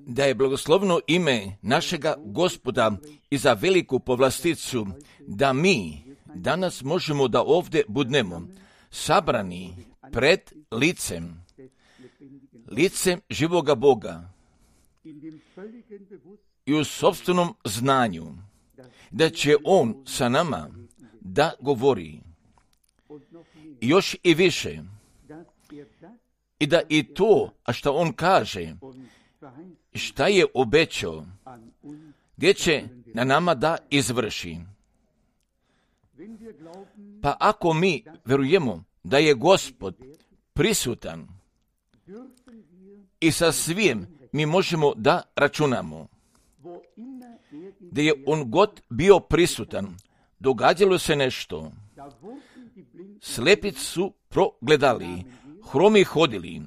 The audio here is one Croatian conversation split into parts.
Da je blagoslovno ime našega Gospoda i za veliku povlasticu da mi danas možemo da ovdje budnemo sabrani pred licem živoga Boga i u sopstvenom znanju da će On sa nama da govori i još i više i da i to, a što On kaže, šta je obećao, gdje će na nama da izvrši. Pa ako mi verujemo da je Gospod prisutan i sa svim mi možemo da računamo, da je On god bio prisutan, događalo se nešto. Slepi su progledali, hromi hodili,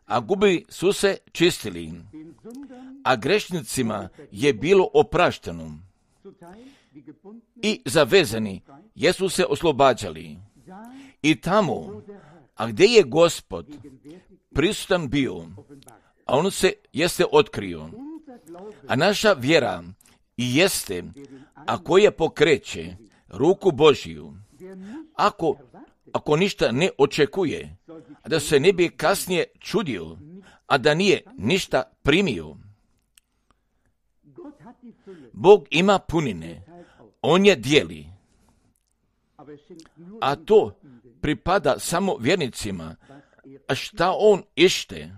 a gubi su se čistili, a grešnicima je bilo oprašteno i zavezani jesu se oslobađali. I tamo, a gdje je Gospod prisutan bio, a On se jeste otkrio, a naša vjera i jeste, a koja pokreće ruku Božiju, ako ništa ne očekuje, a da se ne bi kasnije čudio, a da nije ništa primio. Bog ima punine, On je dijeli, a to pripada samo vjernicima, a šta On ište,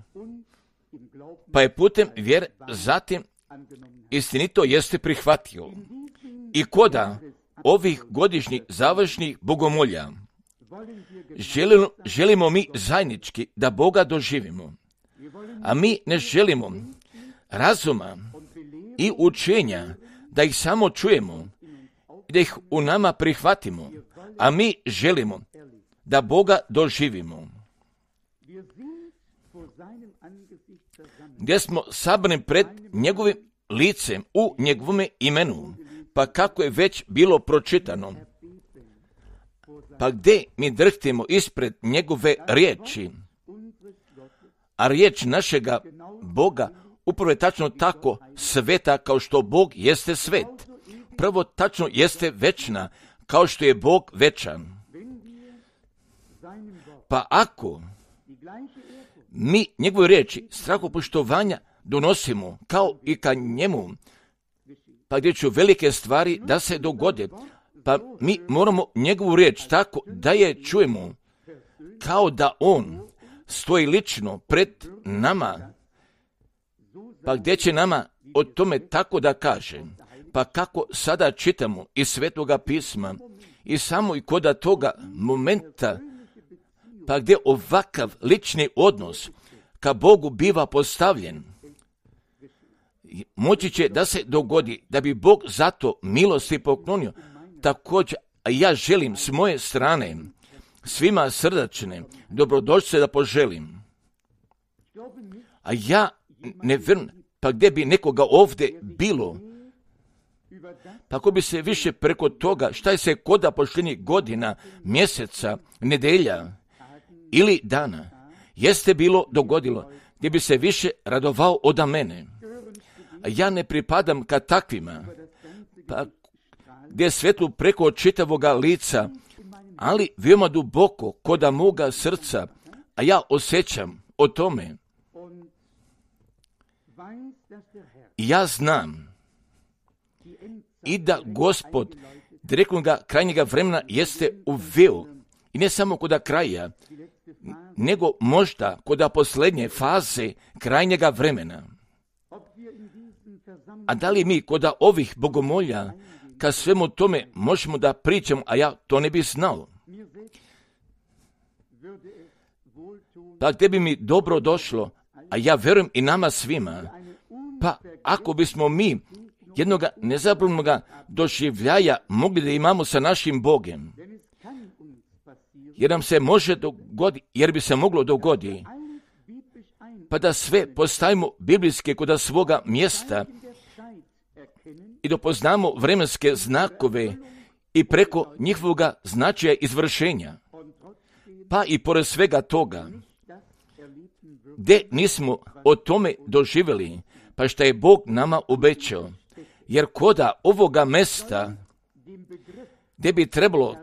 pa je putem vjer zatim istinito jeste prihvatio. I koda ovih godišnjih završnih bogomolja želimo mi zajednički da Boga doživimo, a mi ne želimo razuma i učenja da ih samo čujemo i da ih u nama prihvatimo, a mi želimo da Boga doživimo. Gdje smo sabrani pred njegovim licem u njegovome imenu, pa kako je već bilo pročitano, pa gdje mi drhtimo ispred njegove riječi, a riječ našega Boga upravo je tačno tako sveta kao što Bog jeste svet. Prvo tačno jeste večna kao što je Bog večan. Pa ako mi njegove riječi strahopoštovanja donosimo kao i ka njemu, pa gdje će velike stvari da se dogode, pa mi moramo njegovu riječ tako da je čujemo kao da On stoji lično pred nama, pa gdje će nama o tome tako da kaže, pa kako sada čitamo iz Svetoga pisma i samo i koda toga momenta, pa gdje ovakav lični odnos ka Bogu biva postavljen, moći će da se dogodi da bi Bog zato milosti poklonio. Također, ja želim s moje strane svima srdačne dobrodošlice da poželim. A ja ne vjerujem, pa gdje bi nekoga ovdje bilo, pa ako bi se više preko toga šta je se koda pošljenih godina, mjeseca, nedelja ili dana jeste bilo dogodilo, gdje bi se više radovao od mene. A ja ne pripadam ka takvima, pa gdje je svetlo preko čitavoga lica, ali veoma duboko koda moga srca, a ja osjećam o tome. I ja znam i da Gospod direktnoga krajnjega vremena jeste uveo, i ne samo koda kraja, nego možda koda posljednje faze krajnjega vremena. A da li mi koda ovih bogomolja ka svemu tome možemo da pričamo, a ja to ne bi znao? Pa gdje bi mi dobro došlo, a ja verujem i nama svima, pa ako bismo mi jednoga nezabranoga doživljaja mogli da imamo sa našim Bogem, jer nam se može dogoditi, jer bi se moglo dogoditi, pa da sve postavimo biblijske kod svoga mjesta i da poznamo vremenske znakove i preko njihovoga značaja izvršenja. Pa i pored svega toga, gdje nismo o tome doživjeli, pa što je Bog nama obećao. Jer koda ovoga mesta, gdje bi trebalo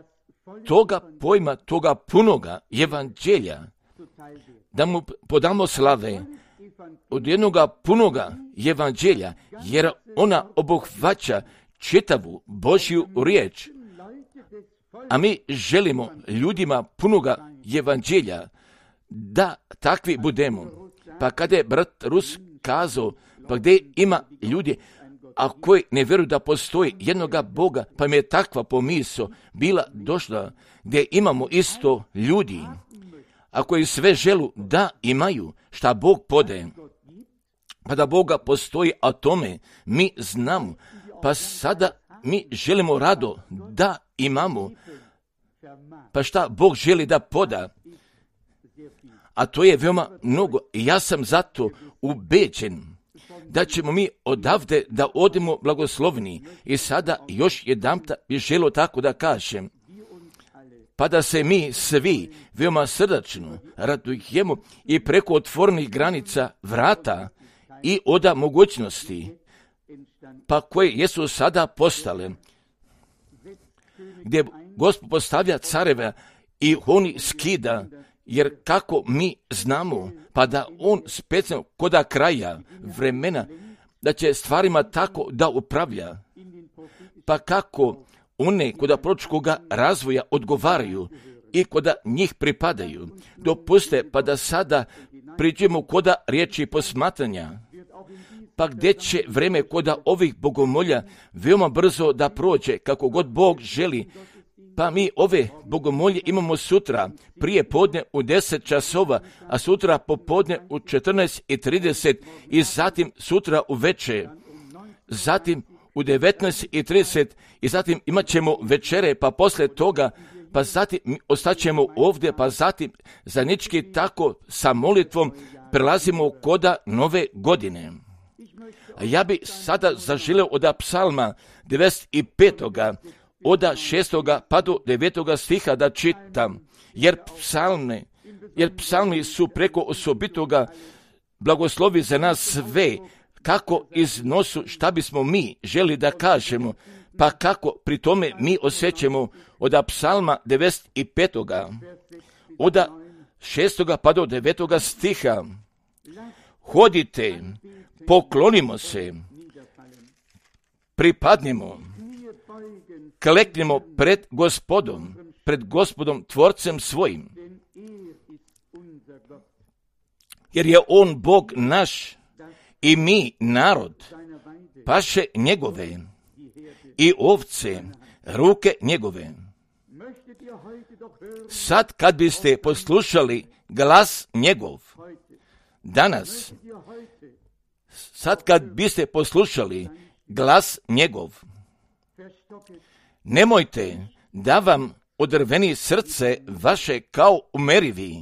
toga pojma, toga punoga evanđelja, da mu podamo slave od jednoga punoga evanđelja, jer ona obuhvaća čitavu Božju riječ. A mi želimo ljudima punoga evanđelja da takvi budemo. Pa kada je brat Rus kazao, pa gdje ima ljudi, a koji ne vjeruju da postoji jednoga Boga, pa mi je takva pomisao bila došla, gdje imamo isto ljudi, a koji sve želu da imaju šta Bog podaje. Pa da Boga postoji, a tome mi znamo, pa sada mi želimo rado da imamo, pa šta Bog želi da poda, a to je veoma mnogo. I ja sam zato ubeđen da ćemo mi odavde da odemo blagoslovni. I sada još jedanput bi želio tako da kažem, pa da se mi svi veoma srdačno radujemo i preko otvorenih granica vrata i oda mogućnosti, pa koje jesu sada postale, gdje Gospod postavlja careve i oni skida, jer kako mi znamo, pa da on specijalno koda kraja vremena, da će stvarima tako da upravlja, pa kako one koda proročkoga razvoja odgovaraju i koda njih pripadaju, dopuste pa da sada priđemo koda riječi posmatranja, pa gdje će vreme koda ovih bogomolja veoma brzo da prođe, kako god Bog želi, pa mi ove bogomolje imamo sutra prije podne u 10 časova, a sutra popodne u 14:30 i zatim sutra u večer, zatim u 19:30 i zatim imat ćemo večere, pa poslije toga, pa zatim ostaćemo ovdje, pa zatim zajednički tako sa molitvom prelazimo koda nove godine. A ja bi sada zaželio od psalma 95. od 6. pa do 9. stiha da čitam, jer psalmi su preko osobitoga blagoslovi za nas sve, kako iznosu šta bismo mi želi da kažemo, pa kako pri tome mi osjećamo od psalma 95. od 6. pa do 9. stiha. Hodite, poklonimo se, pripadnimo, kleknimo pred Gospodom Tvorcem svojim, jer je on Bog naš i mi narod, paše njegove i ovce, ruke njegove. Sad kad biste poslušali glas njegov, danas, sad kad biste poslušali glas njegov, nemojte da vam odrveni srce vaše kao u Merivi,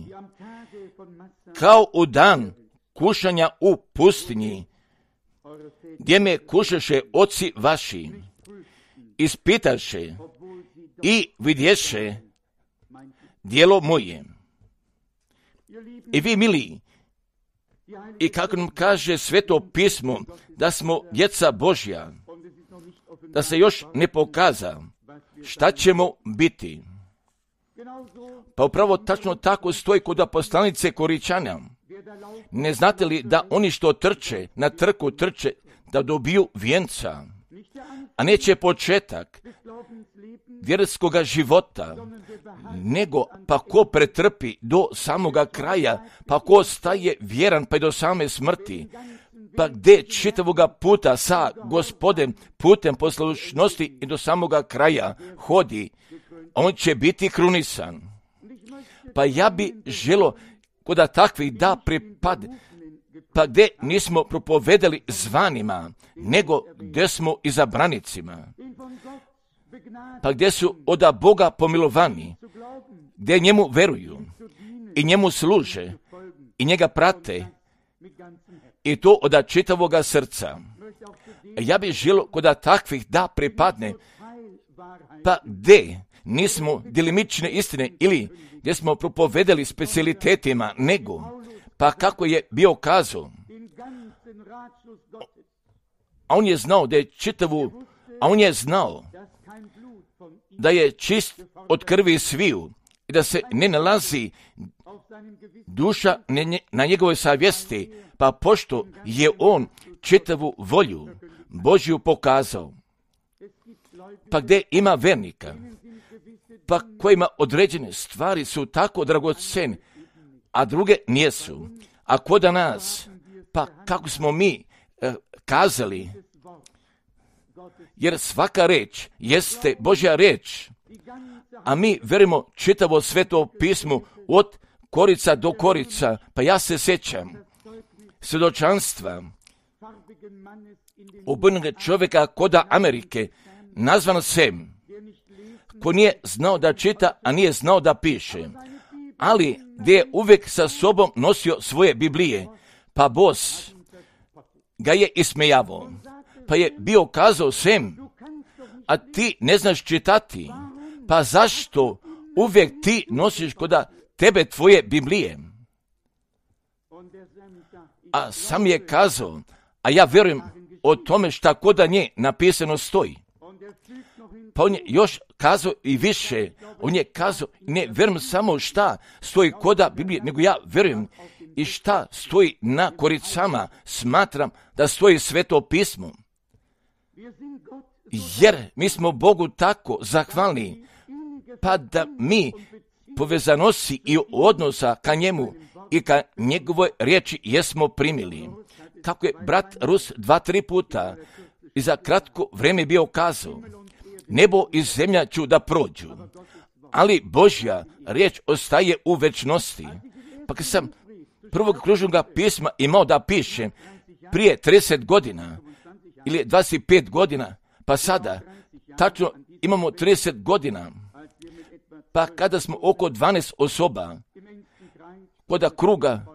kao u dan kušanja u pustinji, gdje me kušaše oci vaši, ispitaše i vidješe djelo moje. I vi, mili, i kako nam kaže Sveto pismo, da smo djeca Božja, da se još ne pokaza šta ćemo biti. Pa upravo tačno tako stoji kod poslanice Koričana. Ne znate li da oni što trče, na trku trče, da dobiju vijenca, a neće početak vjerskoga života, nego pa ko pretrpi do samoga kraja, pa ko staje vjeran pa i do same smrti, pa gdje čitavoga puta sa Gospodem putem poslušnosti i do samoga kraja hodi, on će biti krunisan. Pa ja bi želo koda takvih da pripade, pa gdje nismo propovedali zvanima, nego gdje smo izabranicima, pa gdje su od Boga pomilovani, gdje njemu veruju i njemu služe i njega prate, i to od čitavoga srca. Ja bih želio kod takvih da pripadne, pa gdje nismo djelimične istine ili gdje smo propovedali specijalitetima, nego Pa kako je bio kazao? A on je znao da je čitavu, a on je znao da je čist od krvi sviju i da se ne nalazi duša na njegovoj savjesti, pa pošto je on čitavu volju Božju pokazao, pa gdje ima vernika, pa kojima određene stvari su tako dragocene, a druge nijesu. A kod nas, pa kako smo mi kazali, jer svaka reč jeste Božja reč, a mi verimo čitavo Sveto pismo od korica do korica. Pa ja se sjećam svjedočanstva obrnuga čovjeka koda Amerike, nazvan Sem, ko nije znao da čita, a nije znao da piše, ali gdje je uvijek sa sobom nosio svoje Biblije, pa bos ga je ismejavao, pa je bio kazao: Sem, a ti ne znaš čitati, pa zašto uvijek ti nosiš koda tebe tvoje Biblije? A sam je kazao: a ja vjerujem o tome šta koda nje napisano stoji. Pa on je još kazao i više, on je kazao: ne vjerujem samo šta stoji koda Biblije, nego ja vjerujem i šta stoji na koricama, smatram da stoji Sveto pismo. Jer mi smo Bogu tako zahvalni, pa da mi povezanosti i odnosa ka njemu i ka njegovoj riječi jesmo primili. Kako je brat Rus 2-3 puta i za kratko vrijeme bio kazao: nebo i zemlja ću da prođu, ali Božja riječ ostaje u večnosti. Pa kad sam prvog kružnog pisma imao da pišem prije 30 godina ili 25 godina, pa sada tačno imamo 30 godina, pa kada smo oko 12 osoba koda kruga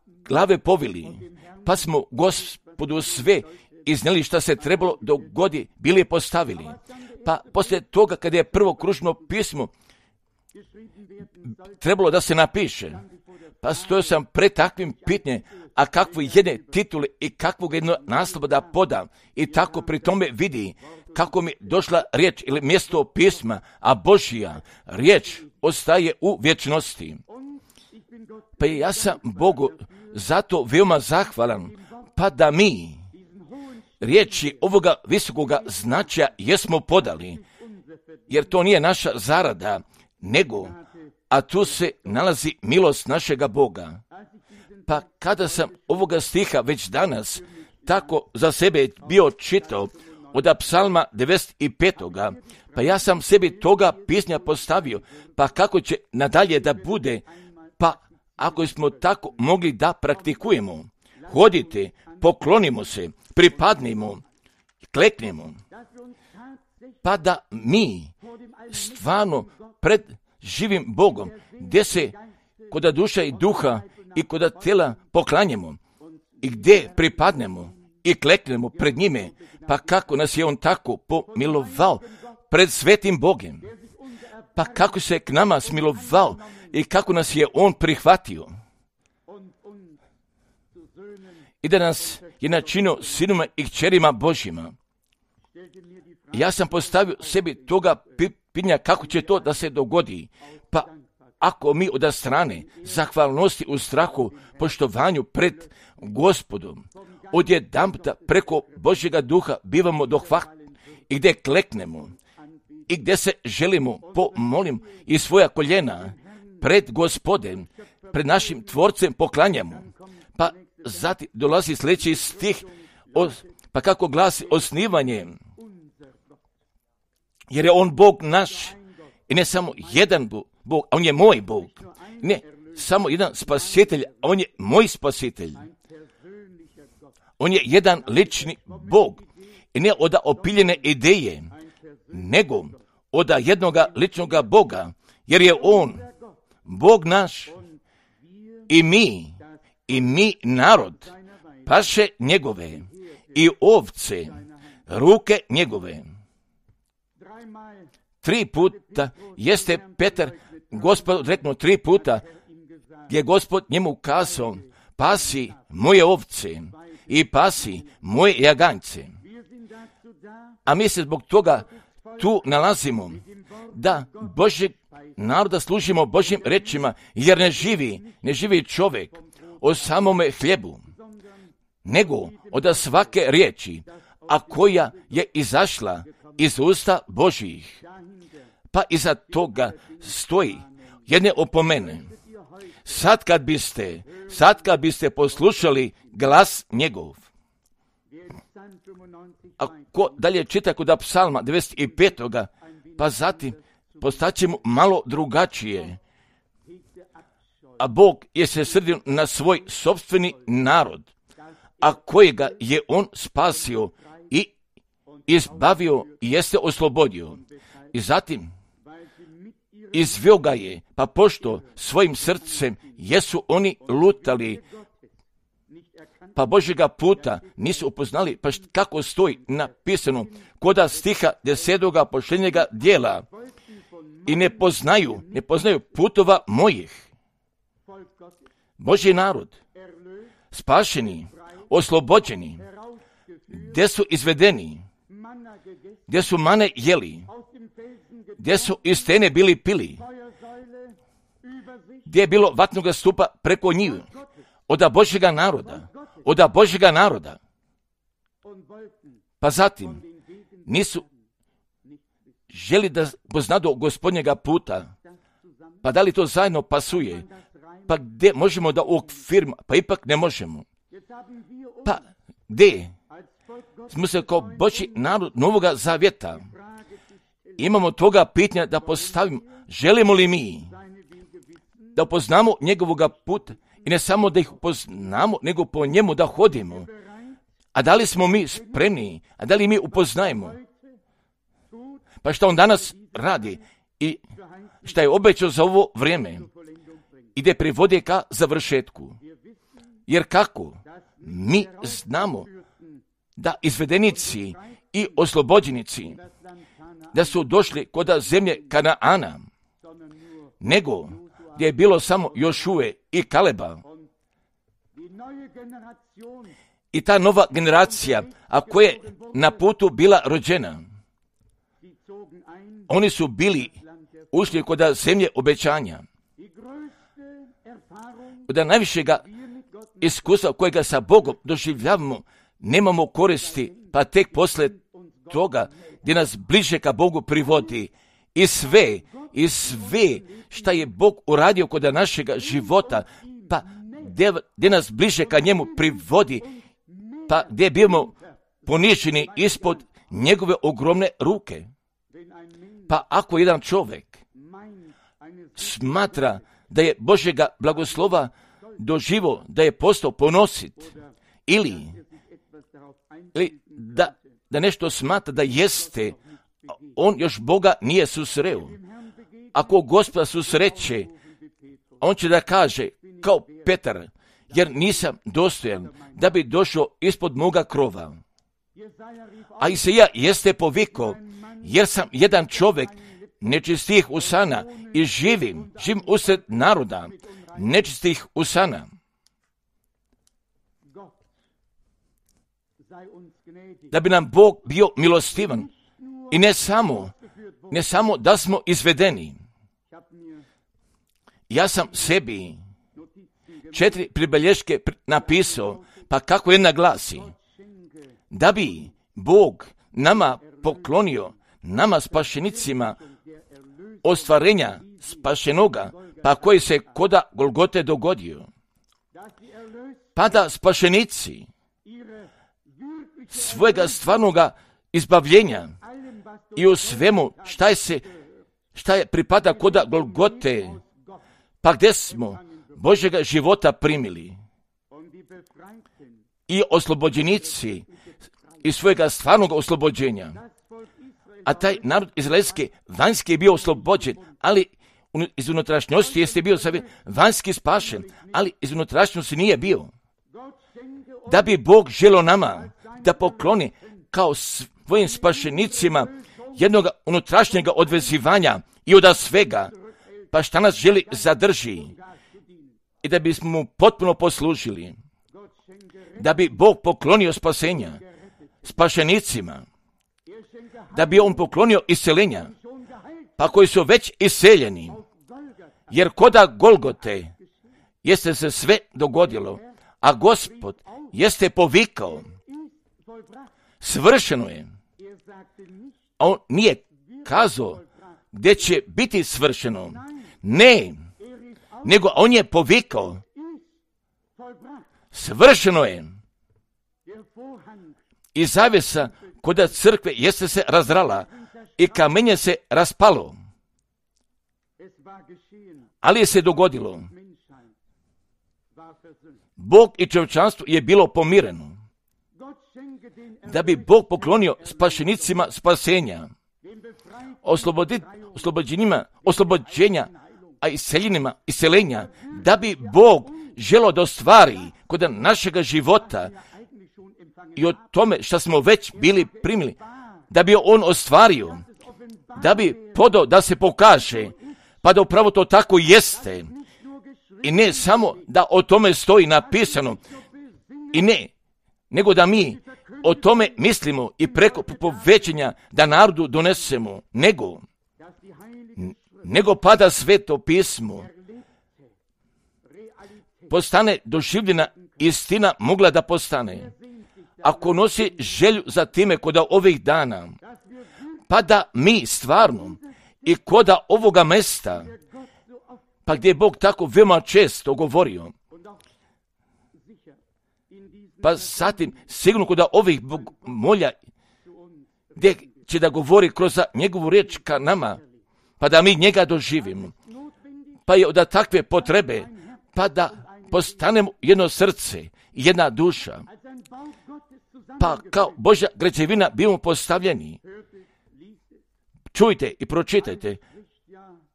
glave povili, pa smo Gospodu sve iznijeli šta se trebalo dogodi, bili postavili. Pa poslije toga kada je prvo kružno pismo trebalo da se napiše, pa stojao sam pred takvim pitanjem, a kakvu jedne titule i kakvog jedno naslova da podam, i tako pri tome vidi kako mi došla riječ ili mjesto pisma, a Božja riječ ostaje u vječnosti. Pa ja sam Bogu zato veoma zahvalan, pa da mi riječi ovoga visokoga značaja jesmo podali, jer to nije naša zarada, nego, a tu se nalazi milost našega Boga. Pa kada sam ovoga stiha već danas tako za sebe bio čitao od psalma 95. pa ja sam sebi toga pisnja postavio, pa kako će nadalje da bude, pa ako smo tako mogli da praktikujemo. Hodite, poklonimo se, pripadnimo, kleknemo, pa da mi stvarno pred živim Bogom, gdje se koda duša i duha i koda tela poklanjamo i gdje pripadnemo i kleknemo pred njime, pa kako nas je on tako pomilovao pred svetim Bogem, pa kako se k nama smilovao i kako nas je on prihvatio i da nas je načinio sinima i kćerima Božjima. Ja sam postavio sebi toga pitanja kako će to da se dogodi, pa ako mi od strane zahvalnosti u strahu, poštovanju pred Gospodom, odjedanputa preko Božjega duha bivamo dohvatni i gdje kleknemo i gdje se želimo pomolim i svoja koljena pred Gospodem, pred našim Tvorcem poklanjamo. Pa zatim dolazi sljedeći stih, pa kako glasi osnivanje, jer je on Bog naš i ne samo jedan Bog, a on je moj Bog. Ne samo jedan spasitelj, a on je moj spasitelj. On je jedan lični Bog i ne od opiljene ideje, nego od jednoga ličnoga Boga, jer je on Bog naš i mi narod, paše njegove i ovce, ruke njegove. 3 puta jeste Petar Gospod reknuo 3 puta, gdje Gospod njemu kazao, pasi moje ovce i pasi moje jaganjce. A mi se zbog toga tu nalazimo, da Božjeg naroda služimo Božjim rečima, jer ne živi čovjek o samome hljebu, nego od svake riječi, a koja je izašla iz usta Božjih. Pa iza toga stoji jedne opomene. Sad kad biste poslušali glas njegov. Ako dalje čita kod Psalma 95. pa zatim postaćemo malo drugačije. A Bog je se srdio na svoj sopstveni narod, a kojega je on spasio i izbavio i jeste oslobodio. I zatim izveo ga je, pa pošto svojim srcem jesu oni lutali, pa Božjega puta nisu upoznali, pa kako stoji napisano koda stiha 10. posljednjega dijela, i ne poznaju putova mojih. Božji narod, spašeni, oslobođeni, gdje su izvedeni, gdje su mane jeli, gdje su iz stene bili pili, gdje je bilo vatnoga stupa preko njih, od Božjega naroda. Pa zatim nisu želi da poznadu Gospodnjega puta, pa da li to zajedno pasuje, pa gdje možemo da uokvirimo, pa ipak ne možemo. Pa gdje smo se kao Božji narod Novoga Zavjeta, imamo toga pitanja da postavimo, želimo li mi da upoznamo njegovoga puta, i ne samo da ih upoznamo, nego po njemu da hodimo. A da li smo mi spremni, a da li mi upoznajemo? Pa što on danas radi i što je obećao za ovo vrijeme, ide privodi ka završetku. Jer kako? Mi znamo da izvedenici i oslobođenici, da su došli kod zemlje Kanaana, nego gdje je bilo samo Jošue i Kaleba. I ta nova generacija, a koja je na putu bila rođena, oni su bili ušli kod zemlje obećanja. Od najvišega iskustva kojega sa Bogom doživljavamo, nemamo koristi, pa tek posle toga gdje nas bliže ka Bogu privodi. I sve šta je Bog uradio kod našega života, pa gdje nas bliže ka njemu privodi, pa gdje bivamo poniženi ispod njegove ogromne ruke. Pa ako jedan čovjek smatra da je Božjega blagoslova doživo, da je postao ponosit, ili da nešto smatra da jeste, on još Boga nije susreo. Ako Gospoda susreće, on će da kaže, kao Petar, jer nisam dostojan da bi došao ispod moga krova. A Isaija jeste poviko, jer sam jedan čovjek nečistih usana i živim usred naroda nečistih usana. Da bi nam Bog bio milostivan i ne samo da smo izvedeni. Ja sam sebi 4 pribelješke napisao, pa kako jedna glasi, da bi Bog nama poklonio, nama spašenicima, ostvarenja spašenoga, pa koji se koda Golgote dogodio. Pa da spašenici svojega stvarnoga izbavljenja i u svemu šta je pripada koda Golgote, pa gdje smo Božjega života primili i oslobođenici iz svojega stvarnog oslobođenja. A taj narod izraelski vanjski je bio oslobođen, ali iz unutrašnjosti jeste bio vanjski spašen, ali iz unutrašnjosti nije bio. Da bi Bog želio nama da pokloni kao svojim spašenicima jednog unutrašnjega odvezivanja i od svega, pa šta nas želi zadrži, i da bismo mu potpuno poslužili, da bi Bog poklonio spasenja spašenicima, da bi on poklonio isceljenja, pa koji su već iseljeni, jer koda Golgote jeste se sve dogodilo, a Gospod jeste povikao, svršeno je. A on nije kazao gdje će biti svršeno, ne, nego on je povikao, svršeno je. I zavjesa koda crkve jeste se razrala i kamenje se raspalo, ali je se dogodilo. Bog i čovječanstvo je bilo pomireno, da bi Bog poklonio spašenicima spasenja, oslobođenja, a iseljenima iseljenja, da bi Bog želio da ostvari kod našega života i o tome što smo već bili primili, da bi on ostvario, da bi podao da se pokaže, pa da upravo to tako jeste. I ne samo da o tome stoji napisano, i ne, nego da mi o tome mislimo i preko povećanja da narodu donesemo, nego pa da sveto pismo postane doživljena istina mogla da postane. Ako nosi želju za time koda ovih dana, pa da mi stvarno i koda ovoga mesta, pa gdje je Bog tako veoma često govorio, pa zatim sigurno koda ovih molja, gdje će da govori kroz njegovu riječ ka nama, pa da mi njega doživimo, pa je od takve potrebe, pa da postanemo jedno srce i jedna duša, pa kao Božja građevina bimo postavljeni. Čujte i pročitajte,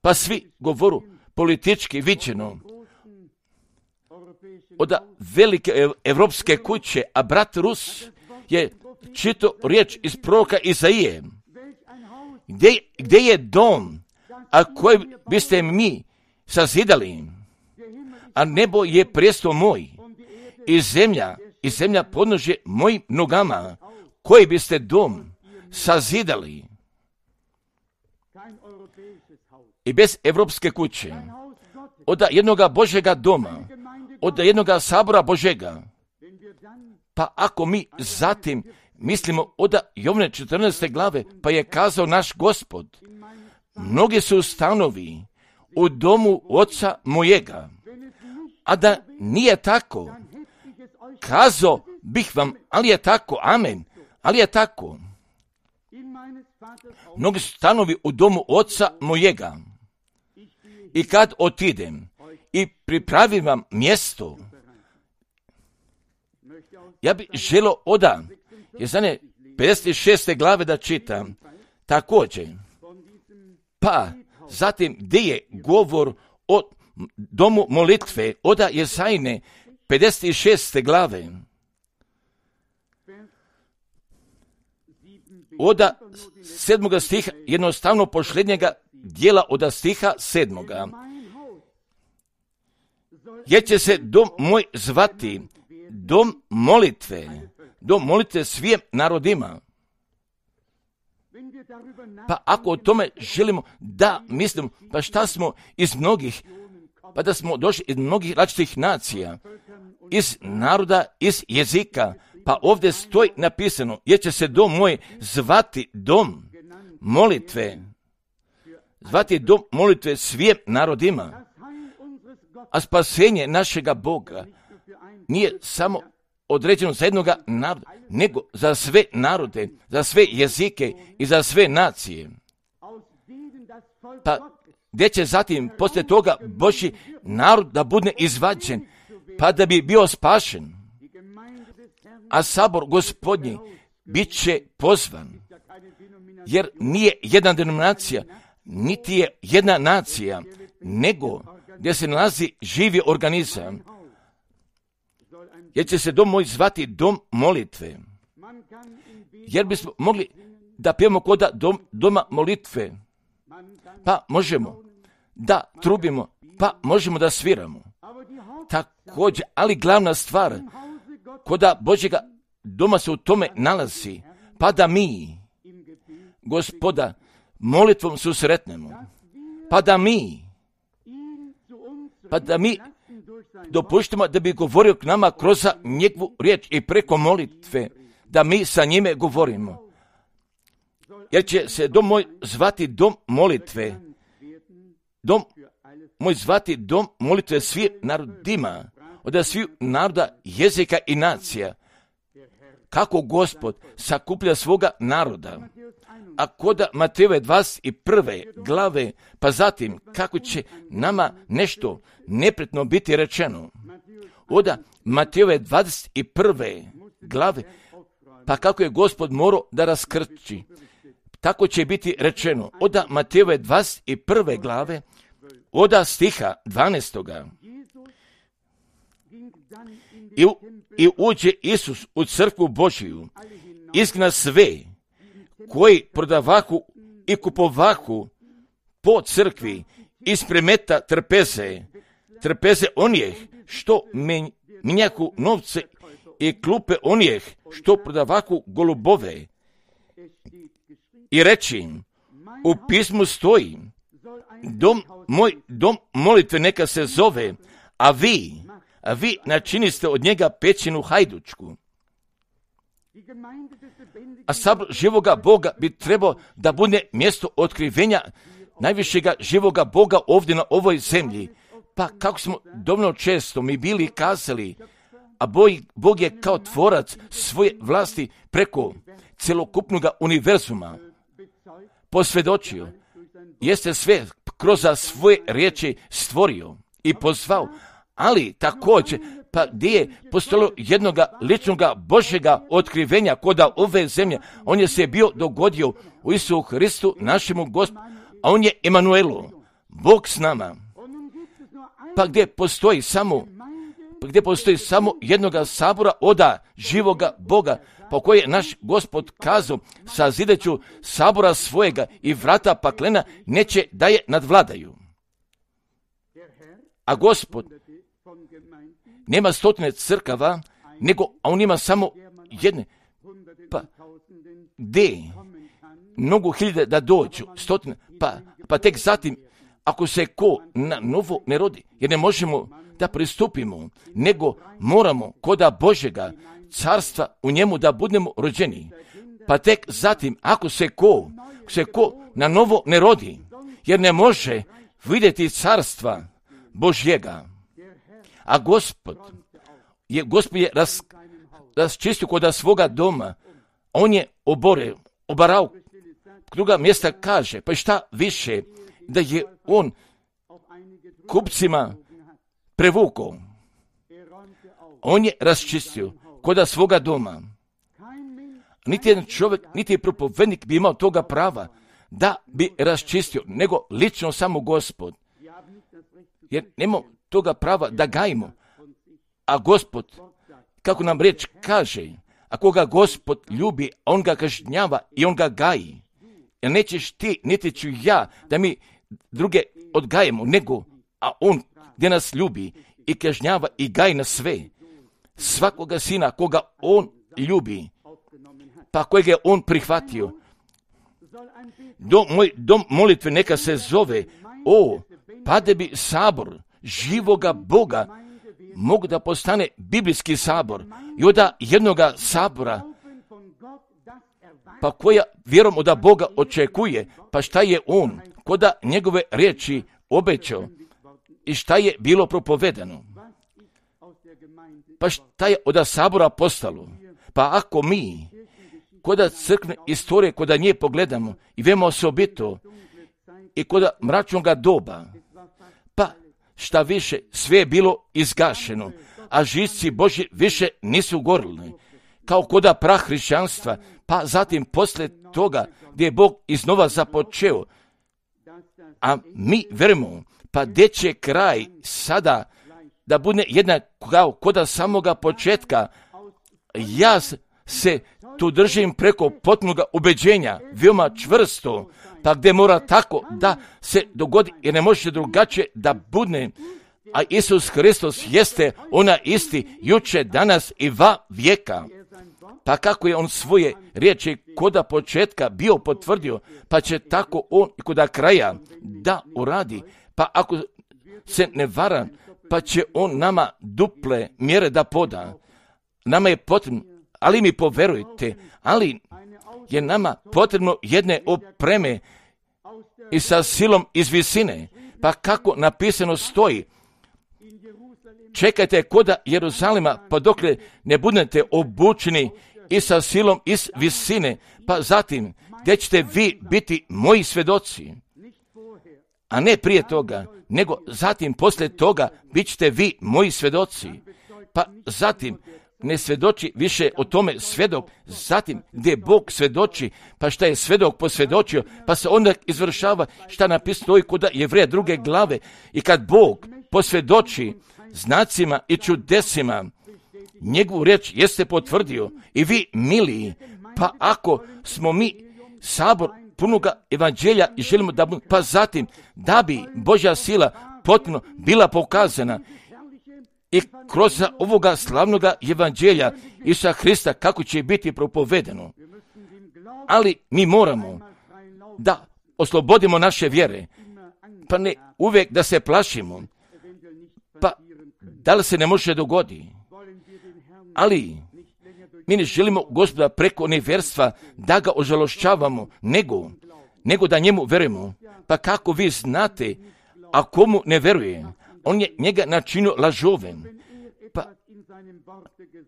pa svi govoru politički viđeno od velike evropske kuće, a brat Rus je čitao riječ iz proroka Izaije, gdje je dom, a koji biste mi sazidali, a nebo je prijestol moj i zemlja podnožje mojim nogama, koji biste dom sazidali. I bez evropske kuće, od jednoga Božjega doma, od jednoga sabora Božjega, pa ako mi zatim mislimo od Jovne 14. glave, pa je kazao naš Gospod, mnogi su stanovi u domu oca mojega, a da nije tako, kazao bih vam, ali je tako, amen, ali je tako. Mnogi su stanovi u domu oca mojega, i kad otidem i pripravim vam mjesto, ja bih želio oda Jezanje 56. glave da čitam također. Pa zatim gdje je govor o domu molitve, oda Jezajne 56. glave, oda 7. stiha, jednostavno posljednjega dijela od stiha 7. Jer će se dom moj zvati dom molitve svim narodima. Pa ako o tome želimo da mislimo, pa šta smo iz mnogih, pa da smo došli iz mnogih različitih nacija, iz naroda, iz jezika, pa ovdje stoji napisano, jer će se dom moj zvati dom molitve, svim narodima. A spasenje našega Boga nije samo određeno za jednoga naroda, nego za sve narode, za sve jezike i za sve nacije. Pa gdje će zatim poslije toga Božji narod da bude izvađen, pa da bi bio spašen. A sabor Gospodnji bit će pozvan, jer nije jedna denominacija, niti je jedna nacija, nego gdje se nalazi živi organizam, jer će se dom moj zvati dom molitve. Jer bismo mogli da pijemo kod doma molitve, pa možemo da trubimo, pa možemo da sviramo. također, ali glavna stvar, koda Božjega doma se u tome nalazi, pa da mi, Gospoda, molitvom susretnemo, pa da mi dopuštimo da bi govorio k nama kroz njegovu riječ i preko molitve, da mi sa njime govorimo. Jer će se dom moj zvati dom molitve, dom moj zvati dom molitve svih narodima, od svih naroda, jezika i nacija. Kako Gospod sakuplja svoga naroda, a koda Matejove 21. glave, pa zatim kako će nama nešto nepretno biti rečeno. Oda Matejove 21. glave, pa kako je Gospod morao da raskrči, tako će biti rečeno. Oda Matejove 21. glave, oda stiha 12. I uđe Isus u crkvu Božiju, izgna sve koji prodavahu i kupovahu po crkvi, ispremeta trpeze onih što minjahu novce i klupe onih što prodavahu golubove. I reći im, u pismu stoji, moj dom molitve neka se zove, a vi načiniste od njega pećinu hajdučku. A sabor živoga Boga bi trebao da bude mjesto otkrivenja najvišega živoga Boga ovdje na ovoj zemlji. Pa kako smo dovoljno često mi bili kazali, a Bog je kao tvorac svoje vlasti preko celokupnog univerzuma posvjedočio, jeste sve kroz svoje riječi stvorio i pozvao, ali također, pa gdje je postojalo jednoga ličnoga Božjega otkrivenja koda ove zemlje, on je se bio dogodio u Isusu Hristu, našemu Gospodu, a on je Emanuelu, Bog s nama. Pa gdje postoji samo jednoga sabora oda živoga Boga, po koje je naš Gospod kazao, sazideću sabora svojega i vrata paklena neće da je nadvladaju. A Gospod nema stotine crkava, a on ima samo jedne. Pa gdje mnogo hiljade da dođu, stotine, pa tek zatim, ako se ko na novo ne rodi, jer ne možemo da pristupimo, nego moramo koda Božjega carstva u njemu da budemo rođeni. Pa tek zatim, ako se ko na novo ne rodi, jer ne može vidjeti carstva Božjega. A Gospod je raščistio koda svoga doma, on je obarao, druga mjesta kaže, pa šta više, da je on kupcima prevukao. On je raščistio koda svoga doma. Niti jedan čovjek, niti propovednik bi imao toga prava da bi raščistio, nego lično samo Gospod. Jer nemamo toga prava da gajimo. A Gospod, kako nam riječ kaže, ako ga Gospod ljubi, on ga kažnjava i on ga gaji. Jer nećeš ti, niti ću ja, da mi druge odgajemo, nego, a on gdje nas ljubi i kažnjava i gaji na sve. Svakoga sina koga on ljubi, pa kojeg je on prihvatio. Moj dom molitve neka se zove, pa da bi sabor živoga Boga mogu da postane biblijski sabor i od jednoga sabora, pa koja vjerom od Boga očekuje, pa šta je on koda njegove riječi obećao i šta je bilo propovedano, pa šta je od sabora postalo. Pa ako mi koda crkvene istorije, koda nje pogledamo i vemo osobito i koda mračnoga doba, pa šta više, sve je bilo izgašeno, a žisci Božji više nisu gorili, kao koda prah hrišćanstva, pa zatim poslije toga gdje je Bog iznova započeo, a mi verujemo, pa gdje će kraj sada da bude jednak kao koda samoga početka. Ja se tu držim preko potpunog ubeđenja, veoma čvrsto, pa gdje mora tako da se dogodi, jer ne može drugačije da bude, A Isus Hristos jeste ona isti juče, danas i va vijeka. Pa kako je on svoje riječi koda početka bio potvrdio, pa će tako on i koda kraja da uradi. Pa ako se ne vara, pa će on nama duple mjere da poda. Nama je potrebno, ali mi poverujte, ali je nama potrebno jedne opreme i sa silom iz visine. Pa kako napisano stoji, čekajte koda Jeruzalema, pa dokle ne budete obučeni i sa silom iz visine, pa zatim gdje ćete vi biti moji svjedoci, a ne prije toga, nego zatim poslije toga bit ćete vi moji svjedoci. Pa zatim ne svjedoči više o tome svjedok, zatim gdje Bog svjedoči, pa šta je svjedok posvjedočio, pa se onda izvršava šta napisano stoji kod Jevreja 2. glave. I kad Bog posvjedoči znacima i čudesima, njegovu riječ jeste potvrdio. I vi, miliji, pa ako smo mi sabor punoga evanđelja i želimo da, pa zatim da bi Božja sila potpuno bila pokazana i kroz ovoga slavnoga evanđelja Isusa Hrista kako će biti propovedeno. Ali mi moramo da oslobodimo naše vjere, pa ne uvijek da se plašimo, pa da li se ne može dogoditi. Ali mi ne želimo Gospoda preko nevjerstva da ga ožalošćavamo, nego da njemu verujemo. Pa kako vi znate, a komu ne veruje, on je njega načinio lažovem. Pa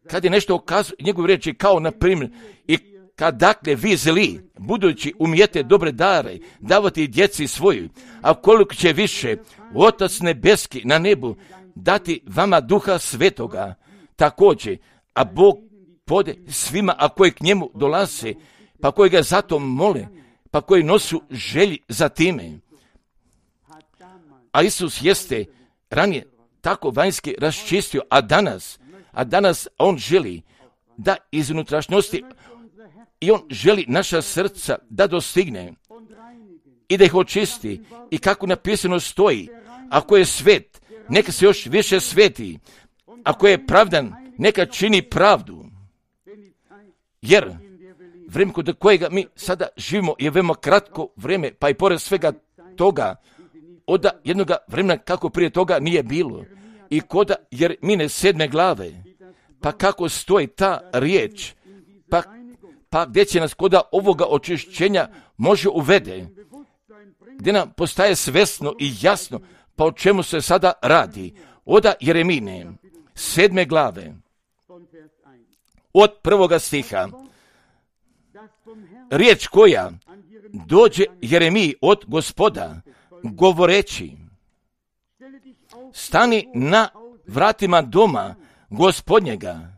kad je nešto ukazao njegove riječi, kao na primjer, i kad dakle vi zli, budući umijete dobre dare davati djeci svoju, a koliko će više Otac nebeski na nebu dati vama Duha Svetoga, također, a Bog pode svima, a koji k njemu dolaze, pa koji ga zato mole, pa koji nosu želji za time. A Isus jeste ranije tako vanjski raščistio, a danas on želi da iz unutrašnjosti i on želi naša srca da dostigne i da ih očisti. I kako napisano stoji, ako je svet, neka se još više sveti, ako je pravdan, neka čini pravdu. Jer vrijeme kod kojega mi sada živimo je veoma kratko vrijeme, pa i pored svega toga, od jednoga vremena kako prije toga nije bilo. I koda Jeremine 7. glave, pa kako stoji ta riječ, pa gdje će nas koda ovoga očišćenja može uvede, gdje nam postaje svesno i jasno, pa o čemu se sada radi. Od Jeremine 7. glave, od 1. stiha, riječ koja dođe Jeremiji od Gospoda, govoreći, stani na vratima doma Gospodnjega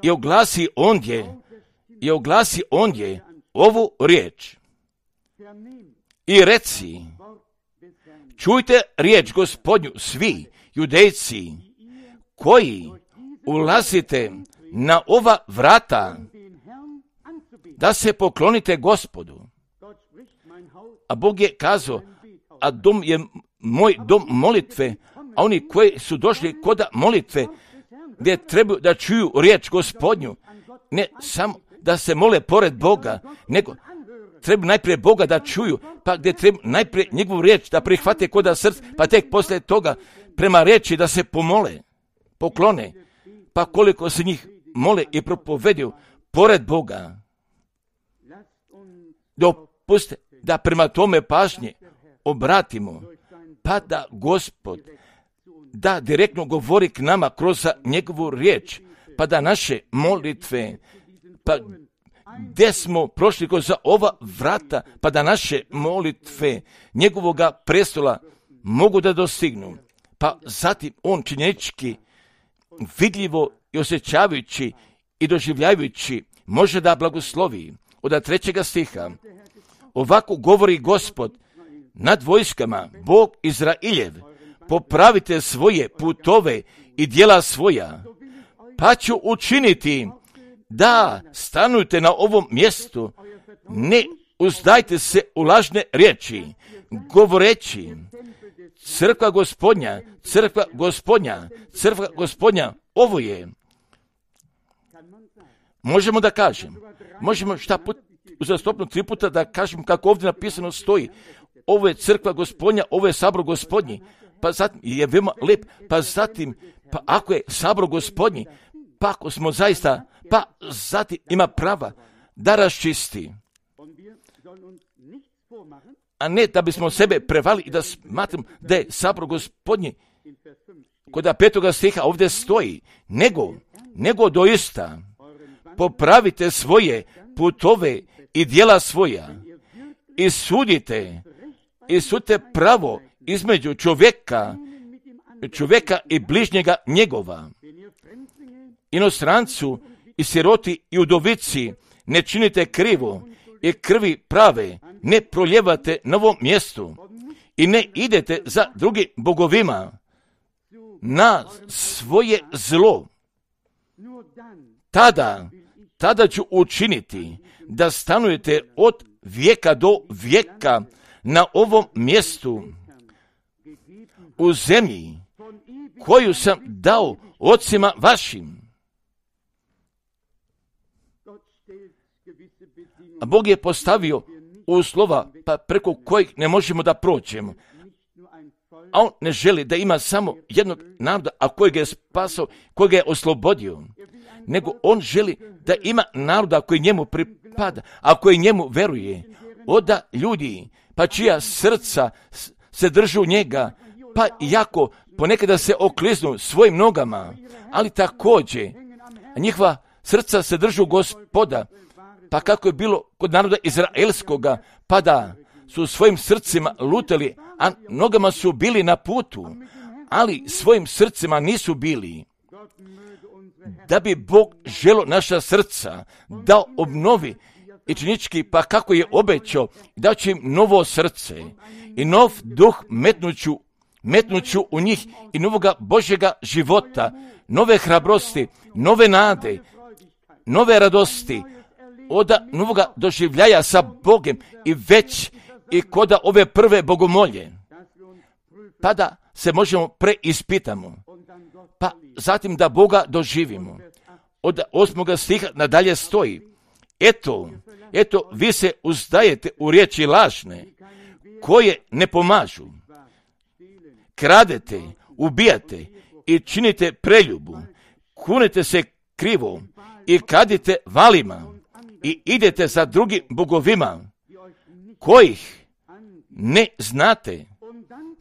i oglasi ondje ovu riječ i reci, čujte riječ Gospodnju svi Judejci koji ulazite na ova vrata, da se poklonite Gospodu. A Bog je kazao, a dom je moj dom molitve, a oni koji su došli kod molitve, gdje trebaju da čuju riječ Gospodnju, ne samo da se mole pored Boga, nego treba najprije Boga da čuju, pa gdje treba najprije njegovu riječ da prihvate kod srca, pa tek poslije toga prema riječi da se poklone, pa koliko se njih mole i propoveduju pored Boga. Dopustite da prema tome pažnje obratimo, pa da Gospod da direktno govori k nama kroz njegovu riječ, pa da naše molitve, pa gdje smo prošli kroz ova vrata, pa da naše molitve njegovoga prestola mogu da dostignu. Pa zatim on činjenički, vidljivo i osjećavajući i doživljavajući može da blagoslovi. Od 3. stiha, ovako govori Gospod nad vojskama, Bog Izrailjev, popravite svoje putove i djela svoja, pa ću učiniti da stanujte na ovom mjestu, ne uzdajte se u lažne riječi, govoreći, crkva Gospodnja, crkva Gospodnja, crkva Gospodnja, ovo je. Možemo da kažem, možemo šta put, uzastopno 3 puta da kažem kako ovdje napisano stoji. Ovo je crkva Gospodnja, ovo je sabor Gospodnji. Pa zatim je veoma lep, pa zatim, pa ako je sabor Gospodnji, pa ako smo zaista, pa zatim ima prava da raščisti. A ne da bismo sebe prevali i da smatram da je sabor Gospodnji, kod 5. stiha ovdje stoji, nego doista popravite svoje putove i djela svoja i sudite pravo između čovjeka i bližnjega njegova. Inostrancu i siroti i udovici ne činite krivo i krvi prave ne proljevate na ovom mjestu i ne idete za drugim bogovima na svoje zlo. Tada ću učiniti da stanujete od vijeka do vijeka na ovom mjestu u zemlji koju sam dao ocima vašim. A Bog je postavio uslova pa preko kojih ne možemo da prođemo. A on ne želi da ima samo jednog naroda, a kojeg je spasao, kojeg je oslobodio. Nego on želi da ima naroda koji njemu pripada, a koji njemu veruje. Oda ljudi, pa čija srca se držu njega, pa jako ponekada se okliznu svojim nogama, ali također njihova srca se držu Gospoda, pa kako je bilo kod naroda izraelskoga, pa da su svojim srcima lutali, a nogama su bili na putu, ali svojim srcima nisu bili. Da bi Bog želo naša srca da obnovi ičnički, pa kako je obećao, da će im novo srce i nov duh metnuću u njih i novoga Božjega života, nove hrabrosti, nove nade, nove radosti, od novoga doživljaja sa Bogem i već i koda ove prve bogomolje, pa da se možemo preispitamo, pa zatim da Boga doživimo. Od 8. stiha nadalje stoji, eto, vi se uzdajete u riječi lažne, koje ne pomažu. Kradete, ubijate i činite preljubu, kunete se krivo i kadite valima i idete za drugim bogovima, kojih ne znate,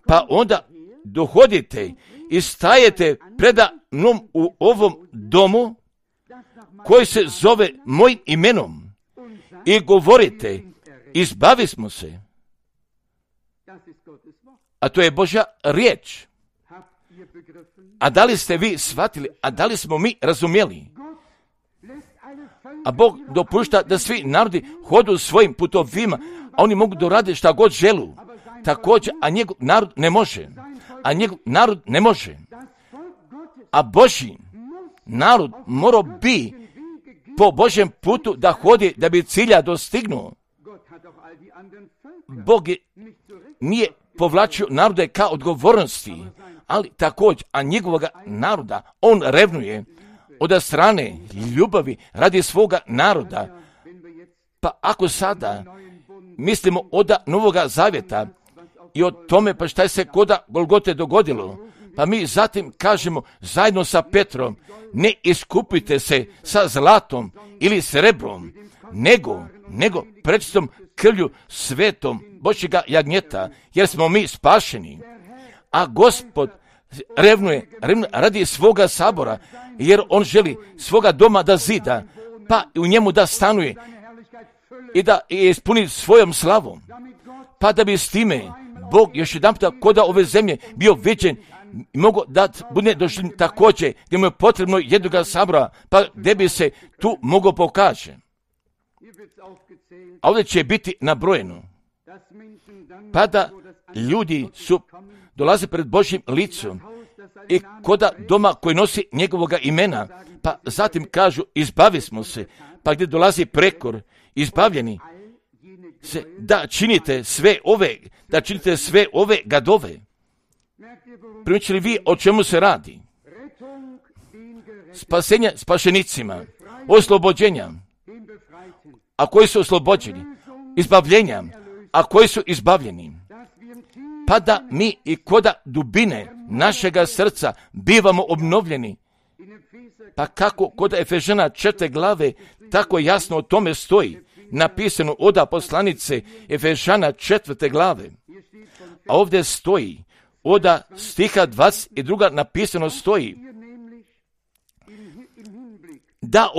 pa onda dohodite i stajete preda mnom u ovom domu, koji se zove mojim imenom, i govorite, izbavi smo se. A to je Božja riječ. A da li ste vi shvatili, a da li smo mi razumjeli? A Bog dopušta da svi narodi hodu svojim putovima, a oni mogu dorade šta god želu. Također, a njegov narod ne može. A Božji narod mora bi po Božjem putu da hodi da bi cilja dostignuo. Bog nije povlačio narode ka odgovornosti, ali također, a njegovoga naroda on revnuje od strane ljubavi radi svoga naroda. Pa ako sada mislimo od Novoga Zavjeta i o tome pa šta je se koda Golgote dogodilo, pa mi zatim kažemo zajedno sa Petrom, ne iskupite se sa zlatom ili srebrom, nego prečistom krvlju svetom Božjega jagnjeta, jer smo mi spašeni. A Gospod revnuje radi svoga sabora, jer on želi svoga doma da zida, pa u njemu da stanuje i da ispuni svojom slavom, pa da bi s time Bog još jedan puta koda ove zemlje bio viđen i mogu da bude doživljen također gdje mu je potrebno jednoga sabora, pa gdje bi se tu mogao pokaže. A ovdje će biti nabrojeno, pa da ljudi dolaze pred Božjim licom i koda doma koji nosi njegovoga imena, pa zatim kažu izbavi smo se, pa gdje dolazi prekor, izbavljeni se, da činite sve ove gadove. Primijećili vi o čemu se radi? Spasenja spašenicima, oslobođenja, a koji su oslobođeni, izbavljenja, a koji su izbavljeni. Pa da mi i koda dubine našega srca bivamo obnovljeni. Pa kako kod Efežana 4. glave tako jasno o tome stoji, napisano od poslanice Efežana 4. glave. A ovdje stoji, od stiha 22. napisano stoji, da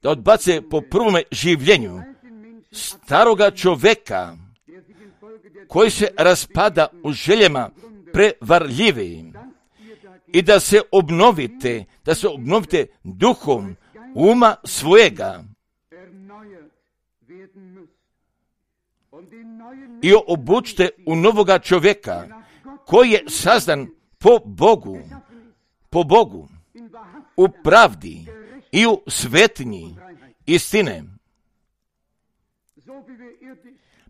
odbacite po prvome življenju staroga čoveka koji se raspada u željama prevarljive i da se obnovite duhom uma svojega i obučite u novoga čovjeka koji je sazdan po Bogu, u pravdi i u svetinji istine.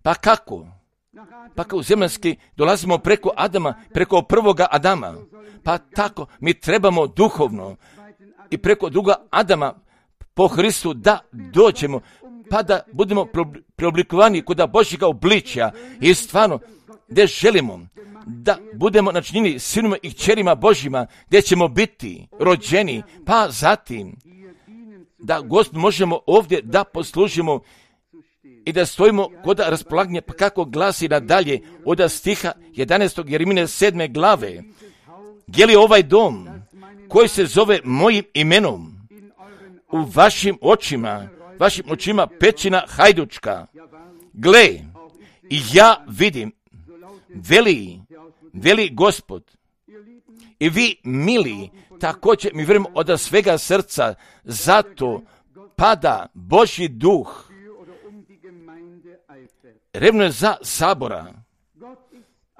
Pa kako? Pa kao zemaljski dolazimo preko Adama, preko prvoga Adama. Pa tako mi trebamo duhovno i preko druga Adama po Hristu da dođemo, pa da budemo preoblikovani kod Božjega obličja i stvarno gdje želimo da budemo načinjeni sinima i kćerima Božjima, gdje ćemo biti rođeni, pa zatim da Gospod možemo ovdje da poslužimo i da stojimo kod raspolaganja, pa kako glasi nadalje od stiha 11. Jeremije 7. glave. Je li ovaj dom koji se zove mojim imenom u vašim očima pećina hajdučka? Gle, i ja vidim, veli Gospod, i vi mili, također mi vjerujemo od svega srca, zato pada Božji duh, revno je za sabora,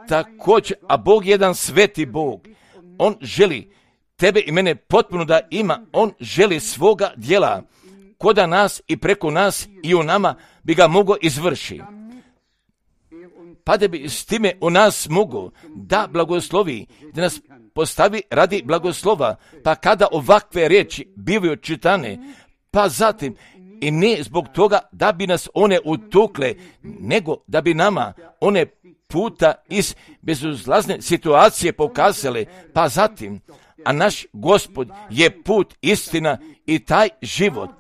također, a Bog je jedan sveti Bog, On želi tebe i mene potpuno da ima, On želi svoga djela koda nas i preko nas i u nama bi ga mogao izvrši. Pa da bi s time u nas mogao da blagoslovi, da nas postavi radi blagoslova, pa kada ovakve riječi bivaju čitane, pa zatim i ne zbog toga da bi nas one utukle, nego da bi nama one puta iz bezuzlazne situacije pokazale, pa zatim, a naš Gospod je put, istina i taj život.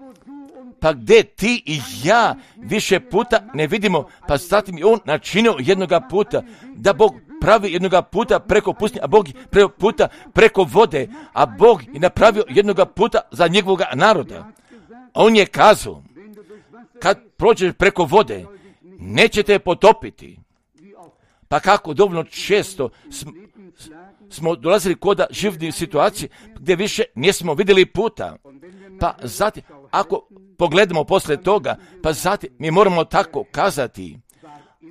Pa gdje ti i ja više puta ne vidimo, pa zatim je On načinio jednoga puta, da Bog pravi jednoga puta preko pustinje, a Bog preko puta preko vode, a Bog je napravio jednoga puta za njegovoga naroda. A On je kazao, kad prođeš preko vode, nećete potopiti. Pa kako dovoljno često smo dolazili kod živnih situacija gdje više nismo vidjeli puta. Pa zatim, ako pogledamo poslije toga, pa zatim mi moramo tako kazati,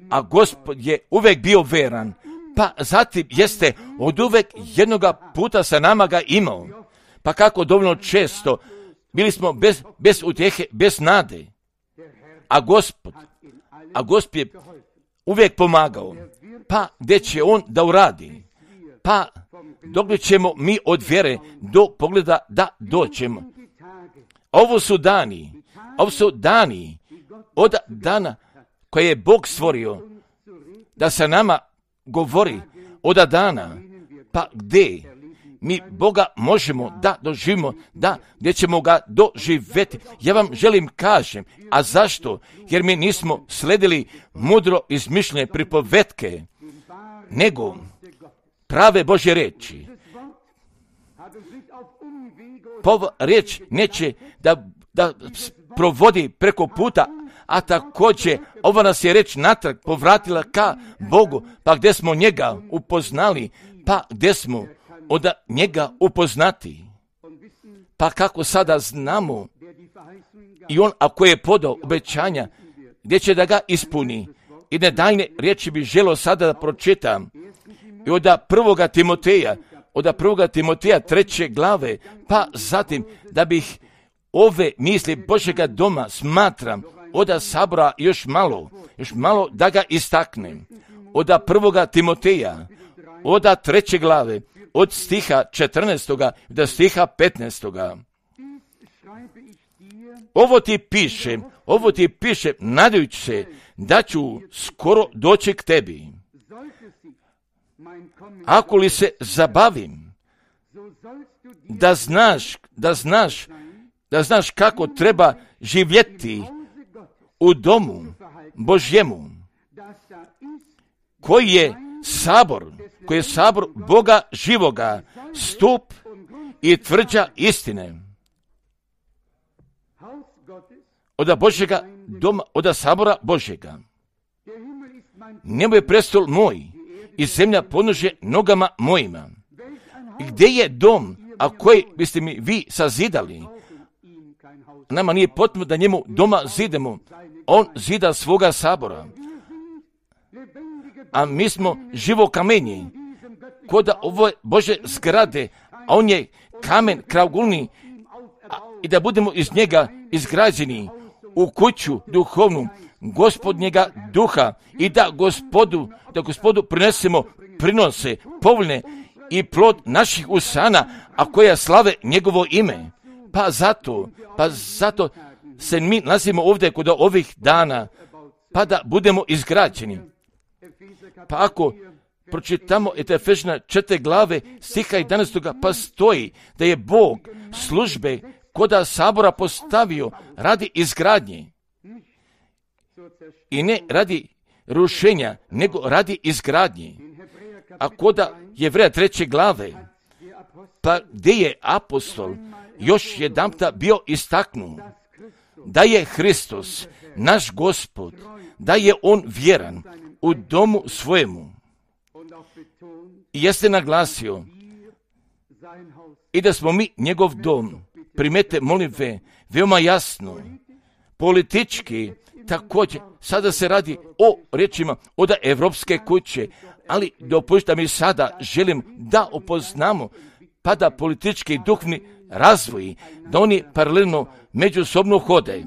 a Gospod je uvijek bio veran, pa zatim jeste od uvijek jednoga puta sa nama ga imao. Pa kako dovoljno često bili smo bez utjehe, bez nade, a Gospod je uvijek pomagao. Pa gdje će On da uradi? Pa dok ćemo mi od vjere do pogleda da doćemo. Ovo su dani od dana koje je Bog stvorio da sa nama govori od dana, pa gdje mi Boga možemo da doživimo, da gdje ćemo ga doživjeti. Ja vam želim kažem, a zašto? Jer mi nismo sledili mudro izmišljene pripovetke, nego prave Božje riječi. Riječ neće da provodi preko puta, a također ova nas je riječ natrag povratila ka Bogu, pa gdje smo njega upoznali, pa gdje smo od njega upoznati. Pa kako sada znamo i On ako je podao obećanja, gdje će da ga ispuni. I nedajne riječi bi želio sada da pročitam. I od 1. Timoteja 3. glave, pa zatim da bih ove misli Božjega doma smatram od sabora još malo da ga istaknem. Od 1. Timoteja oda 3. glave, od stiha 14. do stiha 15. Ovo ti piše nadajući se da ću skoro doći k tebi. Ako li se zabavim, da znaš kako treba živjeti u domu Božjemu, koji je sabor Boga živoga, stup i tvrđa istine. Oda Božjega doma, oda sabora Božjega. Nebo je prestol moj i zemlja podnožje nogama mojima. Gdje je dom, a koji biste mi vi sazidali? Nama nije potrebno da njemu doma zidemo. On zida svoga sabora. A mi smo živo kamenje. Koda ovo Bože zgrade, a on je kamen kraugulni, i da budemo iz njega izgrađeni u kuću duhovnu Gospodnjega duha i da Gospodu prinesemo prinose povoljne i plod naših usana, a koja slave njegovo ime. Pa zato se mi nalazimo ovdje kod ovih dana, pa da budemo izgrađeni. Pa ako pročitamo Efežana 4. glave stiha 11. pa stoji da je Bog službe koda sabora postavio radi izgradnje i ne radi rušenja, nego radi izgradnje. A koda Jevreja 3. glave, pa gdje je apostol još jedanputa bio istaknut da je Hristos, naš Gospod, da je on vjeran u domu svojemu. I jeste naglasio i da smo mi njegov dom. Primete molitve veoma jasno, politički također. Sada se radi o riječima od evropske kuće, ali dopustite mi sada želim da upoznamo pa da politički i duhovni razvoj, da oni paralelno međusobno hode.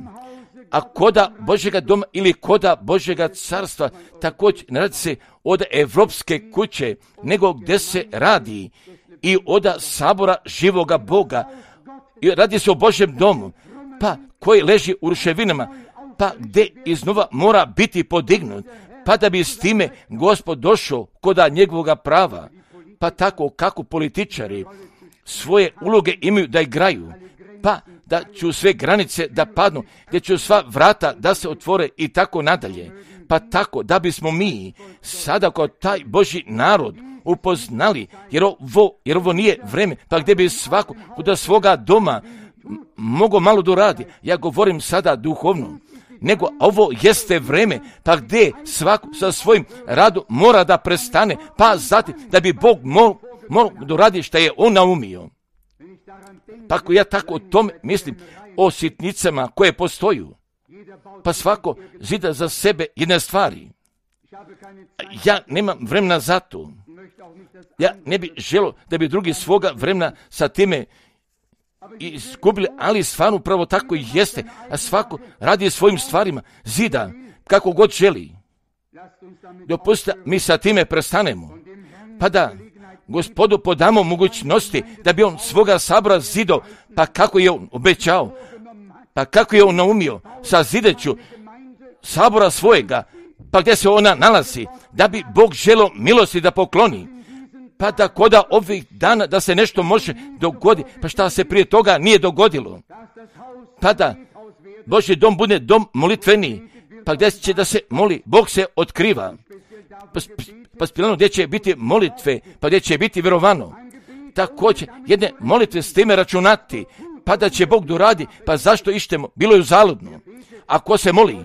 A koda Božjega doma ili koda Božjega carstva također ne radi se od evropske kuće, nego gdje se radi i od sabora živoga Boga. I radi se o Božjem domu, pa koji leži u ruševinama, pa gdje iznova mora biti podignut, pa da bi s time Gospod došao koda njegovoga prava. Pa tako kako političari svoje uloge imaju da igraju, pa da će sve granice da padnu, gdje će sva vrata da se otvore i tako nadalje. Pa tako da bismo mi sada kao taj Božji narod upoznali, jer ovo nije vreme, pa gdje bi svako kod svoga doma mogo malo doradi. Ja govorim sada duhovno, nego ovo jeste vreme, pa gdje svako sa svojim radom mora da prestane, pa zatim da bi Bog mora doradi što je on naumio. Pa ako ja tako o tome mislim, o sitnicama koje postoju, pa svako zida za sebe jedne stvari. Ja nemam vremena za to. Ja ne bih želio da bi drugi svoga vremena sa time izgubili, ali stvarno upravo tako i jeste, a svako radi svojim stvarima, zida kako god želi. Dopustite, mi sa time prestanemo, pa da Gospodu podamo mogućnosti da bi on svoga sabora zidao, pa kako je on obećao, pa kako je on naumio sa zideću sabora svojega, pa gdje se ona nalazi, da bi Bog želio milosti da pokloni, pa da koda ovih dana da se nešto može dogoditi, pa šta se prije toga nije dogodilo, pa da Božji dom bude dom molitveniji, pa gdje će da se moli, Bog se otkriva, pa spilano gdje će biti molitve, pa gdje će biti vjerovano. Također, jedne molitve s time računati, pa da će Bog doradi, pa zašto ištemo, bilo je uzaludno. Ako se moli,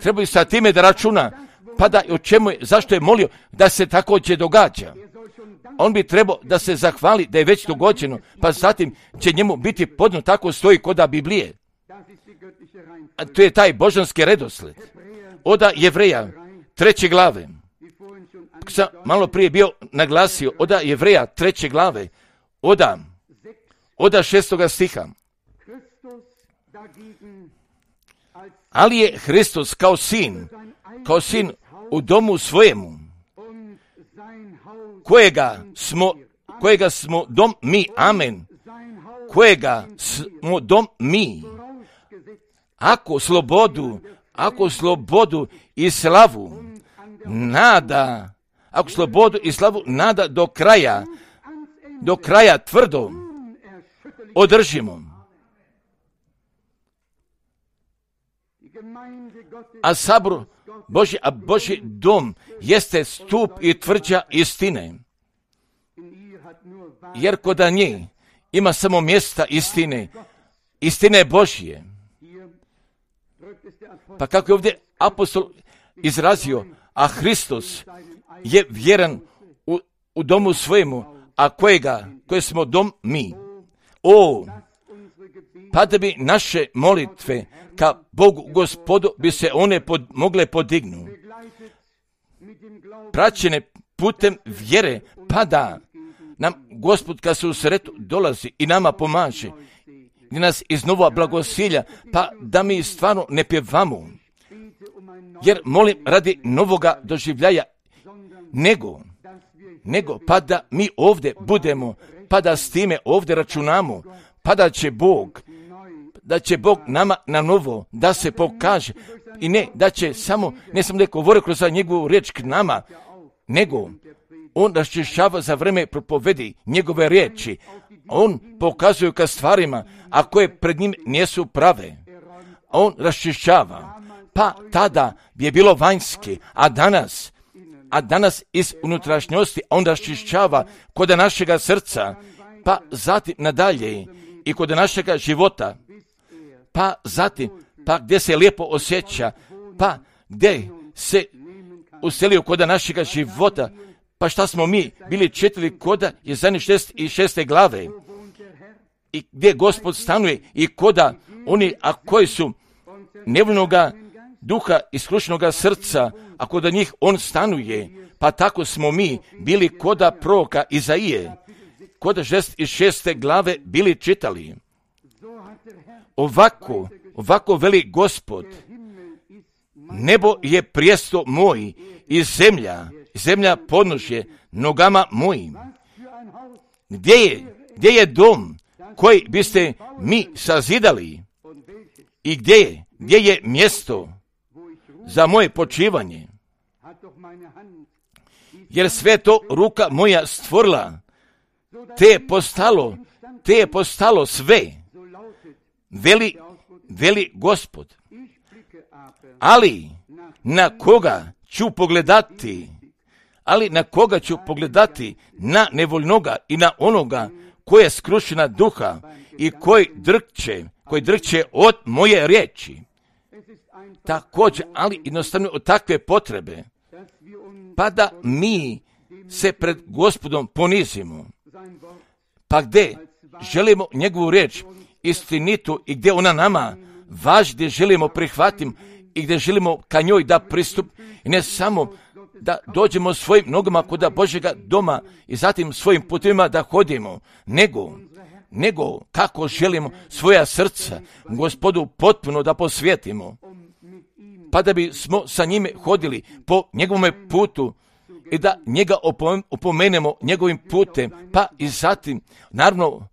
treba sa time da računa, pa da o čemu je, zašto je molio, da se također događa. On bi trebao da se zahvali da je već dogođeno, pa zatim će njemu biti podno, tako stoji koda Biblije. A to je taj božanski redosled. Oda Jevreja 3. glave. Sam malo prije bio naglasio, oda Jevreja 3. glave, oda 6. stiha. Ali je Hristos kao sin u domu svojemu, kojega smo dom mi, amen, kojega smo dom mi. Ako slobodu i slavu nada do kraja tvrdo održimo. A sabor Božji, a Božji dom jeste stup i tvrđa istine. Jer kod nje ima samo mjesta istine Božje. Pa kako je ovdje apostol izrazio, a Hristos je vjeran u domu svojemu, a koje smo dom mi. Pa da bi naše molitve ka Bogu Gospodu bi se one mogle podignuti. Praćene putem vjere, pa da nam Gospod kad se u sretu dolazi i nama pomaže, i nas iznova blagosilja, pa da mi stvarno ne pjevamo. Jer molim radi novoga doživljaja, nego pa da mi ovdje budemo, pa da s time ovdje računamo, pa da će Bog nama na novo da se pokaže i ne da samo da govori kroz njegovu riječ k nama, nego on raščišćava za vreme propovedi njegove riječi. On pokazuje ka stvarima, a koje pred njim nisu prave. On raščišćava. Pa tada je bilo vanjski, a danas iz unutrašnjosti on raščišćava kod našega srca, pa zatim nadalje i kod našega života, pa zatim, pa gdje se lijepo osjeća, pa gdje se uselio kod našega života, pa šta smo mi bili čitali koda Jesaja 66. glave, i gdje Gospod stanuje i koda oni, a koji su nevoljnoga duha i skrušenoga srca, a kod njih on stanuje, pa tako smo mi bili koda proroka Izaije, koda 66. glave bili čitali. Ovako veli Gospod, nebo je prijesto moj i zemlja podnožje nogama mojim. Gdje je dom koji biste mi sazidali i gdje je mjesto za moje počivanje? Jer sve to ruka moja stvorila, te je postalo sve, veli Gospod. Ali na koga ću pogledati? Na nevoljnoga i na onoga koji je skrušena duha i koji drhće od moje riječi. Također, ali jednostavno od takve potrebe, pa da mi se pred Gospodom ponizimo, pa gdje želimo njegovu riječ istinitu i gdje ona nama važi, gdje želimo prihvatiti i gdje želimo ka njoj da pristup, i ne samo da dođemo svojim nogama kod Božjega doma i zatim svojim putima da hodimo, nego kako želimo svoja srca Gospodu potpuno da posvetimo, pa da bi smo sa njime hodili po njegovome putu i da njega opomenemo njegovim putem, pa i zatim, naravno,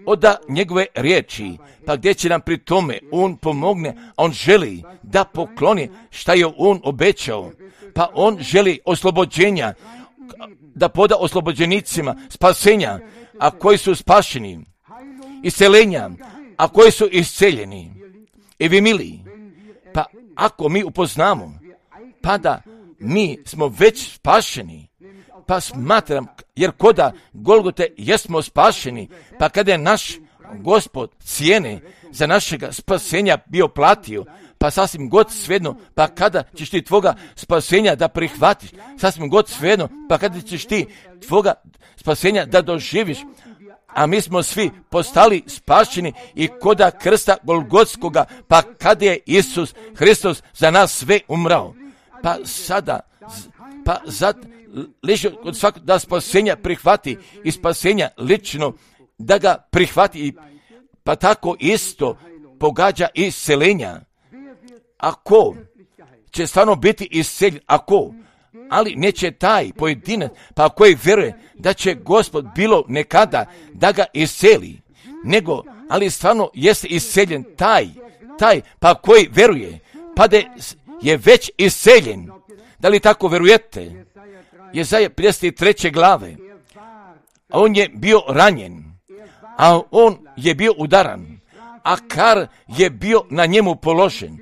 oda njegove riječi, pa gdje će nam pri tome on pomogne, a on želi da pokloni šta je on obećao, pa on želi oslobođenja, da poda oslobođenicima spasenja, a koji su spašeni, isceljenja, a koji su isceljeni. I vi mili, pa ako mi upoznamo, pa da mi smo već spašeni, pa smatram, jer koda Golgote jesmo spašeni, pa kada je naš Gospod cijene za našega spasenja bio platio, pa sasvim god svejedno, pa kada ćeš ti tvoga spasenja da prihvatiš, sasvim god svejedno, pa kada ćeš ti tvoga spasenja da doživiš, a mi smo svi postali spašeni i koda krsta Golgotskoga, pa kada je Isus Hristos za nas sve umrao, pa sada, lično od svakog da spasenja prihvati i spasenja lično da ga prihvati, pa tako isto pogađa isceljenja. Ako će stvarno biti isceljen, ali neće taj pojedinac, pa koji vjeruje da će Gospod bilo nekada da ga isceli, nego, ali stvarno jeste isceljen taj, pa koji vjeruje, pa da je već isceljen. Da li tako vjerujete? Jesaja 53. glave, a on je bio ranjen, a on je bio udaran, a kar je bio na njemu položen.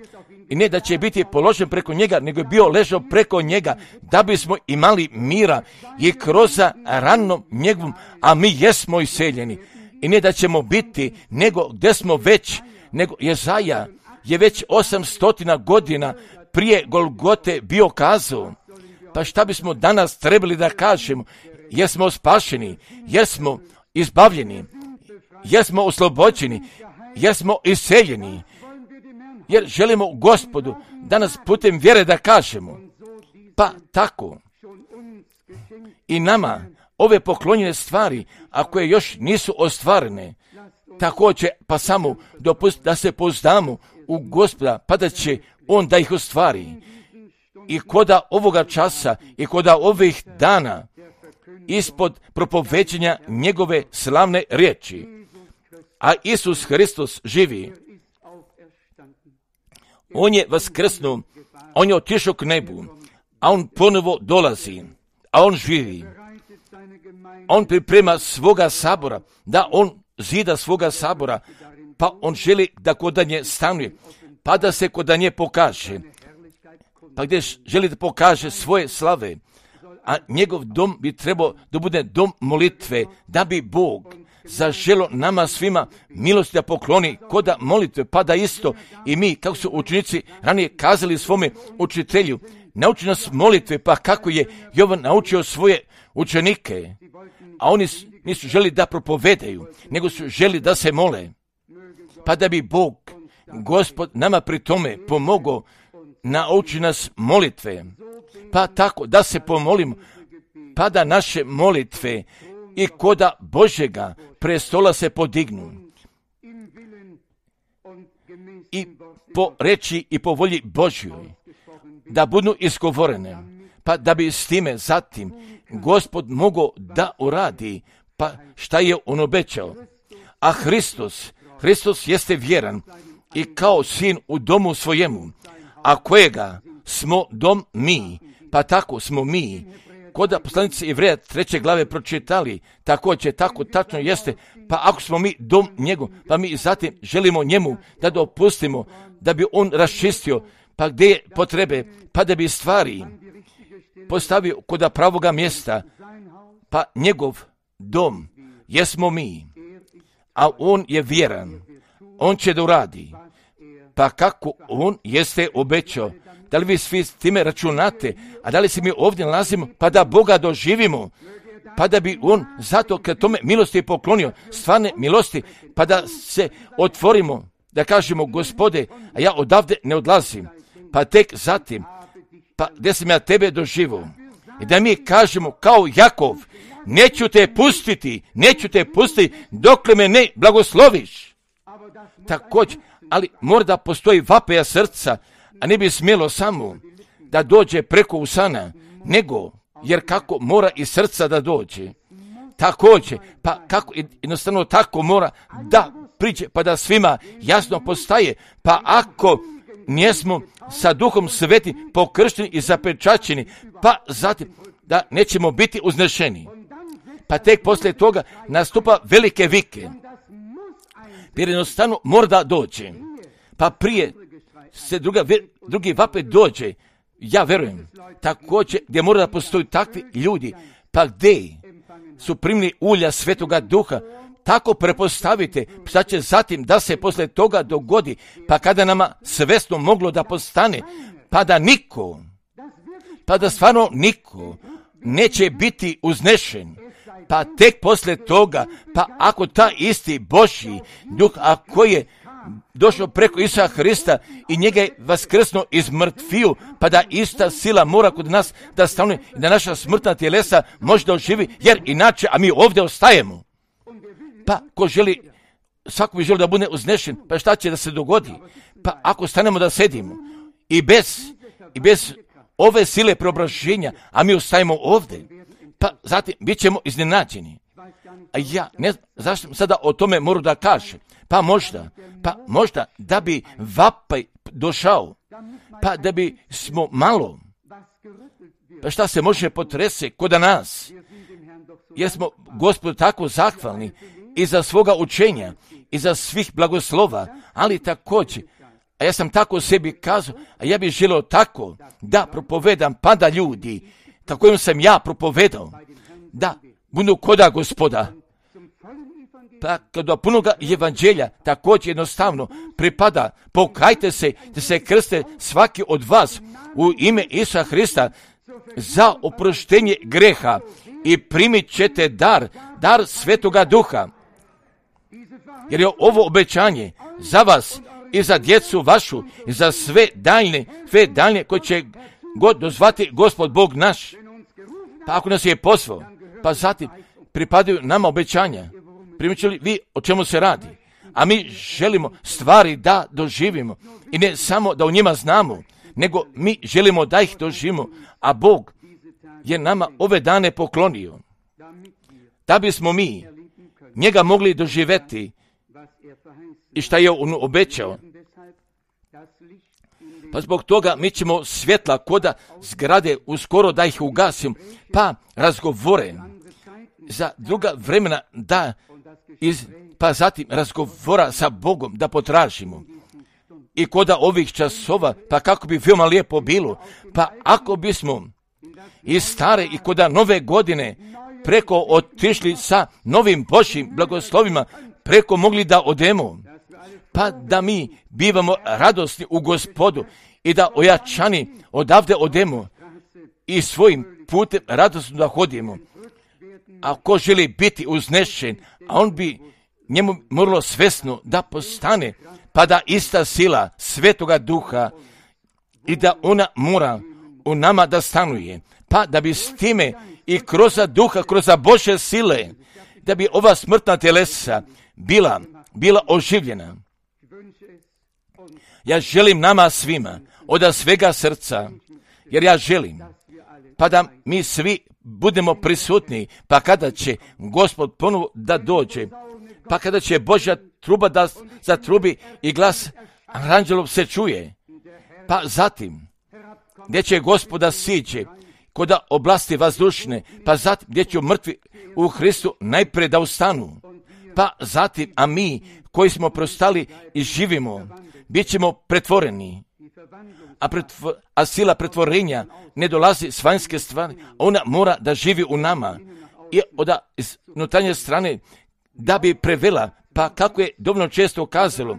I ne da će biti položen preko njega, nego je bio ležao preko njega, da bismo imali mira i kroz ranom njegovom, a mi jesmo iseljeni. I ne da ćemo biti, nego gdje smo već, nego Jesaja je već 800 godina prije Golgote bio kazao. Pa šta bismo danas trebali da kažemo? Jesmo spašeni, jesmo izbavljeni, jesmo oslobođeni, jesmo iseljeni. Jer želimo Gospodu danas putem vjere da kažemo. Pa tako i nama ove poklonjene stvari, ako je još nisu ostvarene, također pa samo dopustiti da se pouzdamo u Gospoda, pa da će On da ih ostvari. I koda ovoga časa i koda ovih dana ispod propoveđenja njegove slavne riječi, a Isus Hristos živi. On je vaskrsnuo, on je otišao k nebu, a on ponovo dolazi, a on živi. On priprema svoga sabora, da on zida svoga sabora, pa on želi da kod nje stanuje, pa da se kod nje pokaže, pa gdje želi da pokaže svoje slave, a njegov dom bi trebao da bude dom molitve, da bi Bog zaželo nama svima milosti da pokloni koda molitve, pa da isto i mi, kako su učenici ranije kazali svome učitelju, nauči nas molitve, pa kako je Jovan naučio svoje učenike, a oni nisu želi da propovedaju, nego su želi da se mole, pa da bi Bog, Gospod, nama pri tome pomogao, nauči nas molitve, pa tako da se pomolimo, pa da naše molitve i koda Božjega prestola se podignu i po reči i po volji Božjoj da budu izgovorene, pa da bi s time zatim Gospod mogao da uradi pa šta je on obećao. A Hristos jeste vjeran i kao sin u domu svojemu, a kojega smo dom mi, pa tako smo mi. Koda poslanici Jevreja 3. glave pročitali, također tako tačno jeste, pa ako smo mi dom njegov, pa mi zatim želimo njemu da dopustimo, da bi on raščistio, pa gdje je potrebe, pa da bi stvari postavio koda pravoga mjesta, pa njegov dom jesmo mi, a on je vjeran, on će da uradi, pa kako on jeste obećao. Da li vi svi s time računate, a da li se mi ovdje nalazimo, pa da Boga doživimo, pa da bi on zato kad tome milosti poklonio, stvarne milosti, pa da se otvorimo, da kažemo Gospode, a ja odavde ne odlazim, pa tek zatim, pa gdje sam ja tebe doživio, i da mi kažemo kao Jakov, neću te pustiti dokle me ne blagosloviš. Također, ali mora da postoji vapeja srca, a ne bi smjelo samo da dođe preko usana, nego, jer kako mora i srca da dođe. Također, pa kako jednostavno tako mora da priđe, pa da svima jasno postaje, pa ako nismo sa Duhom Svetim pokršteni i zapečaćeni, pa zatim da nećemo biti uznešeni. Pa tek poslije toga nastupa velike vike, jer jednostavno mora da dođe, pa prije se drugi vapet dođe, ja verujem, također gdje mora da postoji takvi ljudi, pa gdje su primili ulja Svetoga Duha, tako prepostavite šta će zatim da se posle toga dogodi, pa kada nama svesno moglo da postane, pa da stvarno niko neće biti uznešen, pa tek posle toga, pa ako ta isti Božji Duh, ako je došao preko Isusa Hrista i njega je vaskrsnuo iz mrtviju, pa da ista sila mora kod nas da stanuje i da naša smrtna tjelesa može da oživi, jer inače, a mi ovdje ostajemo. Pa ko želi, svako bi želi da bude uznešen, pa šta će da se dogodi? Pa ako stanemo da sedimo i bez ove sile preobraženja, a mi ostajemo ovdje, pa zatim bit ćemo iznenađeni. A ja ne znam zašto sada o tome moram da kažem. Pa možda da bi vapaj došao, pa da bi smo malo, pa šta se može potrese kod nas, jer smo Gospodu tako zahvalni i za svoga učenja, i za svih blagoslova, ali također, a ja sam tako sebi kazao, a ja bih želio tako da propovedam, pa da ljudi, kako im sam ja propovedao, da budu koda Gospoda. Pa kada punoga evanđelja također jednostavno pripada, pokajte se, da se krste svaki od vas u ime Isusa Hrista za oproštenje greha i primit ćete dar Svetoga Duha. Jer je ovo obećanje za vas i za djecu vašu i za sve daljne koje će god dozvati Gospod Bog naš. Pa ako nas je pozvao, pa zatim pripadaju nama obećanja. Primičili li vi o čemu se radi? A mi želimo stvari da doživimo i ne samo da o njima znamo, nego mi želimo da ih doživimo, a Bog je nama ove dane poklonio, da bismo mi njega mogli doživjeti i šta je on obećao. Pa zbog toga mi ćemo svjetla koda zgrade uskoro da ih ugasim, pa razgovore za druga vremena da pa zatim razgovora sa Bogom da potražimo. I koda ovih časova, pa kako bi veoma lijepo bilo, pa ako bismo i stare i koda nove godine preko otišli sa novim Božjim blagoslovima, preko mogli da odemo, pa da mi bivamo radosni u Gospodu i da ojačani odavde odemo i svojim putem radosno da hodimo. A ko želi biti uznešen, a on bi njemu moralo svesno da postane, pa da ista sila Svetoga Duha i da ona mora u nama da stanuje, pa da bi s time i kroz Duha, kroz Božje sile, da bi ova smrtna telesa bila oživljena. Ja želim nama svima od svega srca, jer ja želim, pa da mi svi budemo prisutni, pa kada će Gospod ponovo da dođe, pa kada će Božja truba da zatrubi i glas anđelov se čuje, pa zatim gdje će Gospoda siđe koda oblasti vazdušne, pa zatim gdje će mrtvi u Hristu najprije da ustanu, pa zatim, a mi koji smo prostali i živimo, bit ćemo pretvoreni. A sila pretvorenja ne dolazi s vanjske stvari, ona mora da živi u nama i od unutarnje strane da bi prevela, pa kako je dovoljno često kazalo,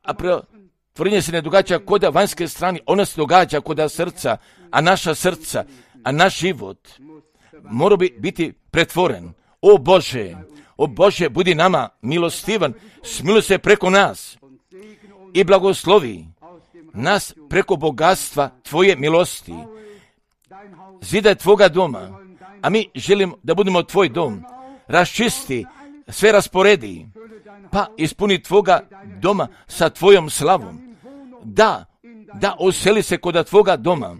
a pretvorenje se ne događa kod vanjske strane, ona se događa kod srca, a naša srca, a naš život mora biti pretvoren. O Bože, budi nama milostivan, smiluj se preko nas i blagoslovi nas preko bogatstva Tvoje milosti. Zidaj Tvoga doma, a mi želimo da budemo Tvoj dom. Raščisti, sve rasporedi, pa ispuni Tvoga doma sa Tvojom slavom. Da useli se kod Tvoga doma.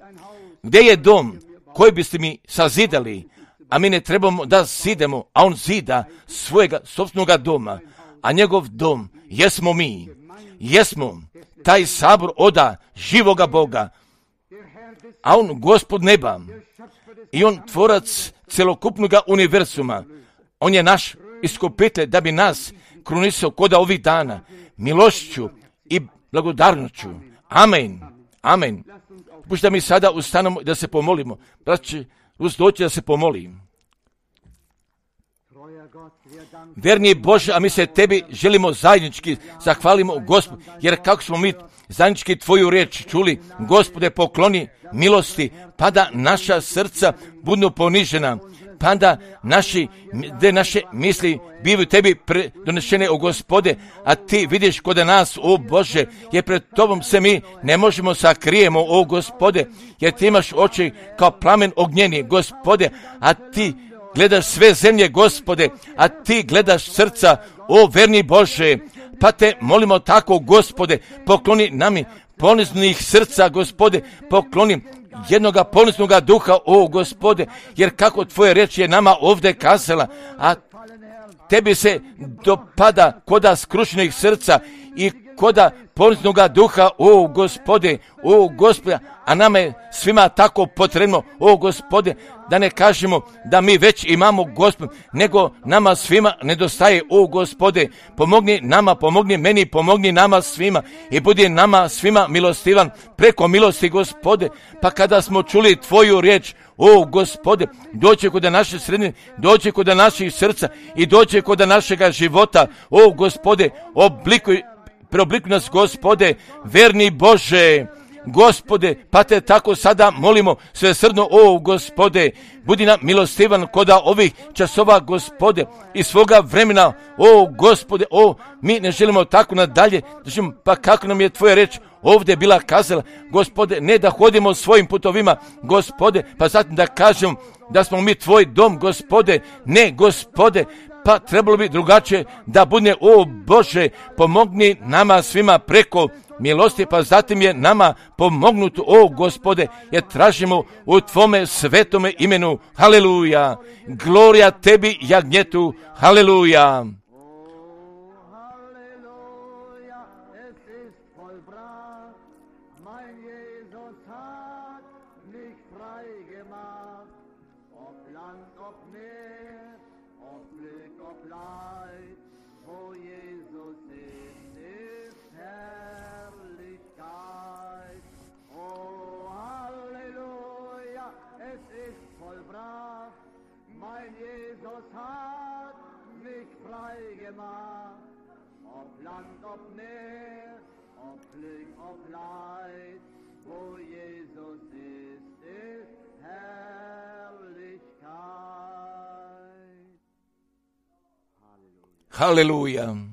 Gdje je dom koji biste mi sazidali, a mi ne trebamo da zidemo, a on zida svojega sopstvenoga doma, a njegov dom jesmo mi. Jesmo taj sabor oda živoga Boga, a on Gospod neba i on tvorac celokupnoga univerzuma. On je naš iskupitelj da bi nas krunisao koda ovih dana milošću i blagodarnoću. Amen. Amen. Pušta mi sada ustanemo da se pomolimo. Braće, doći da se pomolim. Verni Bože, a mi se Tebi želimo zajednički zahvalimo Gospod, jer kako smo mi zajednički Tvoju riječ čuli, Gospode, pokloni milosti, pa da naša srca budu ponižena, pa da naše misli bivaju Tebi donešene, o Gospode, a Ti vidiš kod nas, o Bože, jer pred Tobom se mi ne možemo sakrijemo, o Gospode, jer Ti imaš oči kao plamen ognjeni, Gospode, a Ti gledaš sve zemlje, Gospode, a Ti gledaš srca, o verni Bože, pa Te molimo tako, Gospode, pokloni nami poniznih srca, Gospode, pokloni jednoga poniznoga duha, o Gospode, jer kako tvoje riječi je nama ovdje kazala, a tebi se dopada koda skrušenih srca i koda poniznoga duha, o Gospode, a nama je svima tako potrebno, o Gospode, da ne kažemo da mi već imamo Gospod, nego nama svima nedostaje, o Gospode, pomogni nama, pomogni meni, pomogni nama svima i budi nama svima milostivan preko milosti, Gospode, pa kada smo čuli tvoju riječ, o Gospode, dođe kod naše sredine, dođe kod naših srca i dođe kod našega života, o Gospode, preoblikuj nas, Gospode, verni Bože, Gospode, pa te tako sada molimo svesrdno, o Gospode, budi nam milostivan koda ovih časova, Gospode, i svoga vremena, o Gospode, mi ne želimo tako nadalje, pa kako nam je tvoja reč ovdje bila kazala, Gospode, ne da hodimo svojim putovima, Gospode, pa zatim da kažem da smo mi tvoj dom, Gospode, ne, Gospode, pa trebalo bi drugačije da bude, o Bože, pomogni nama svima preko milosti, pa zatim je nama pomognuto, o Gospode, jer tražimo u tvome svetome imenu, haleluja, glorija tebi, jagnjetu, haleluja. Haleluja.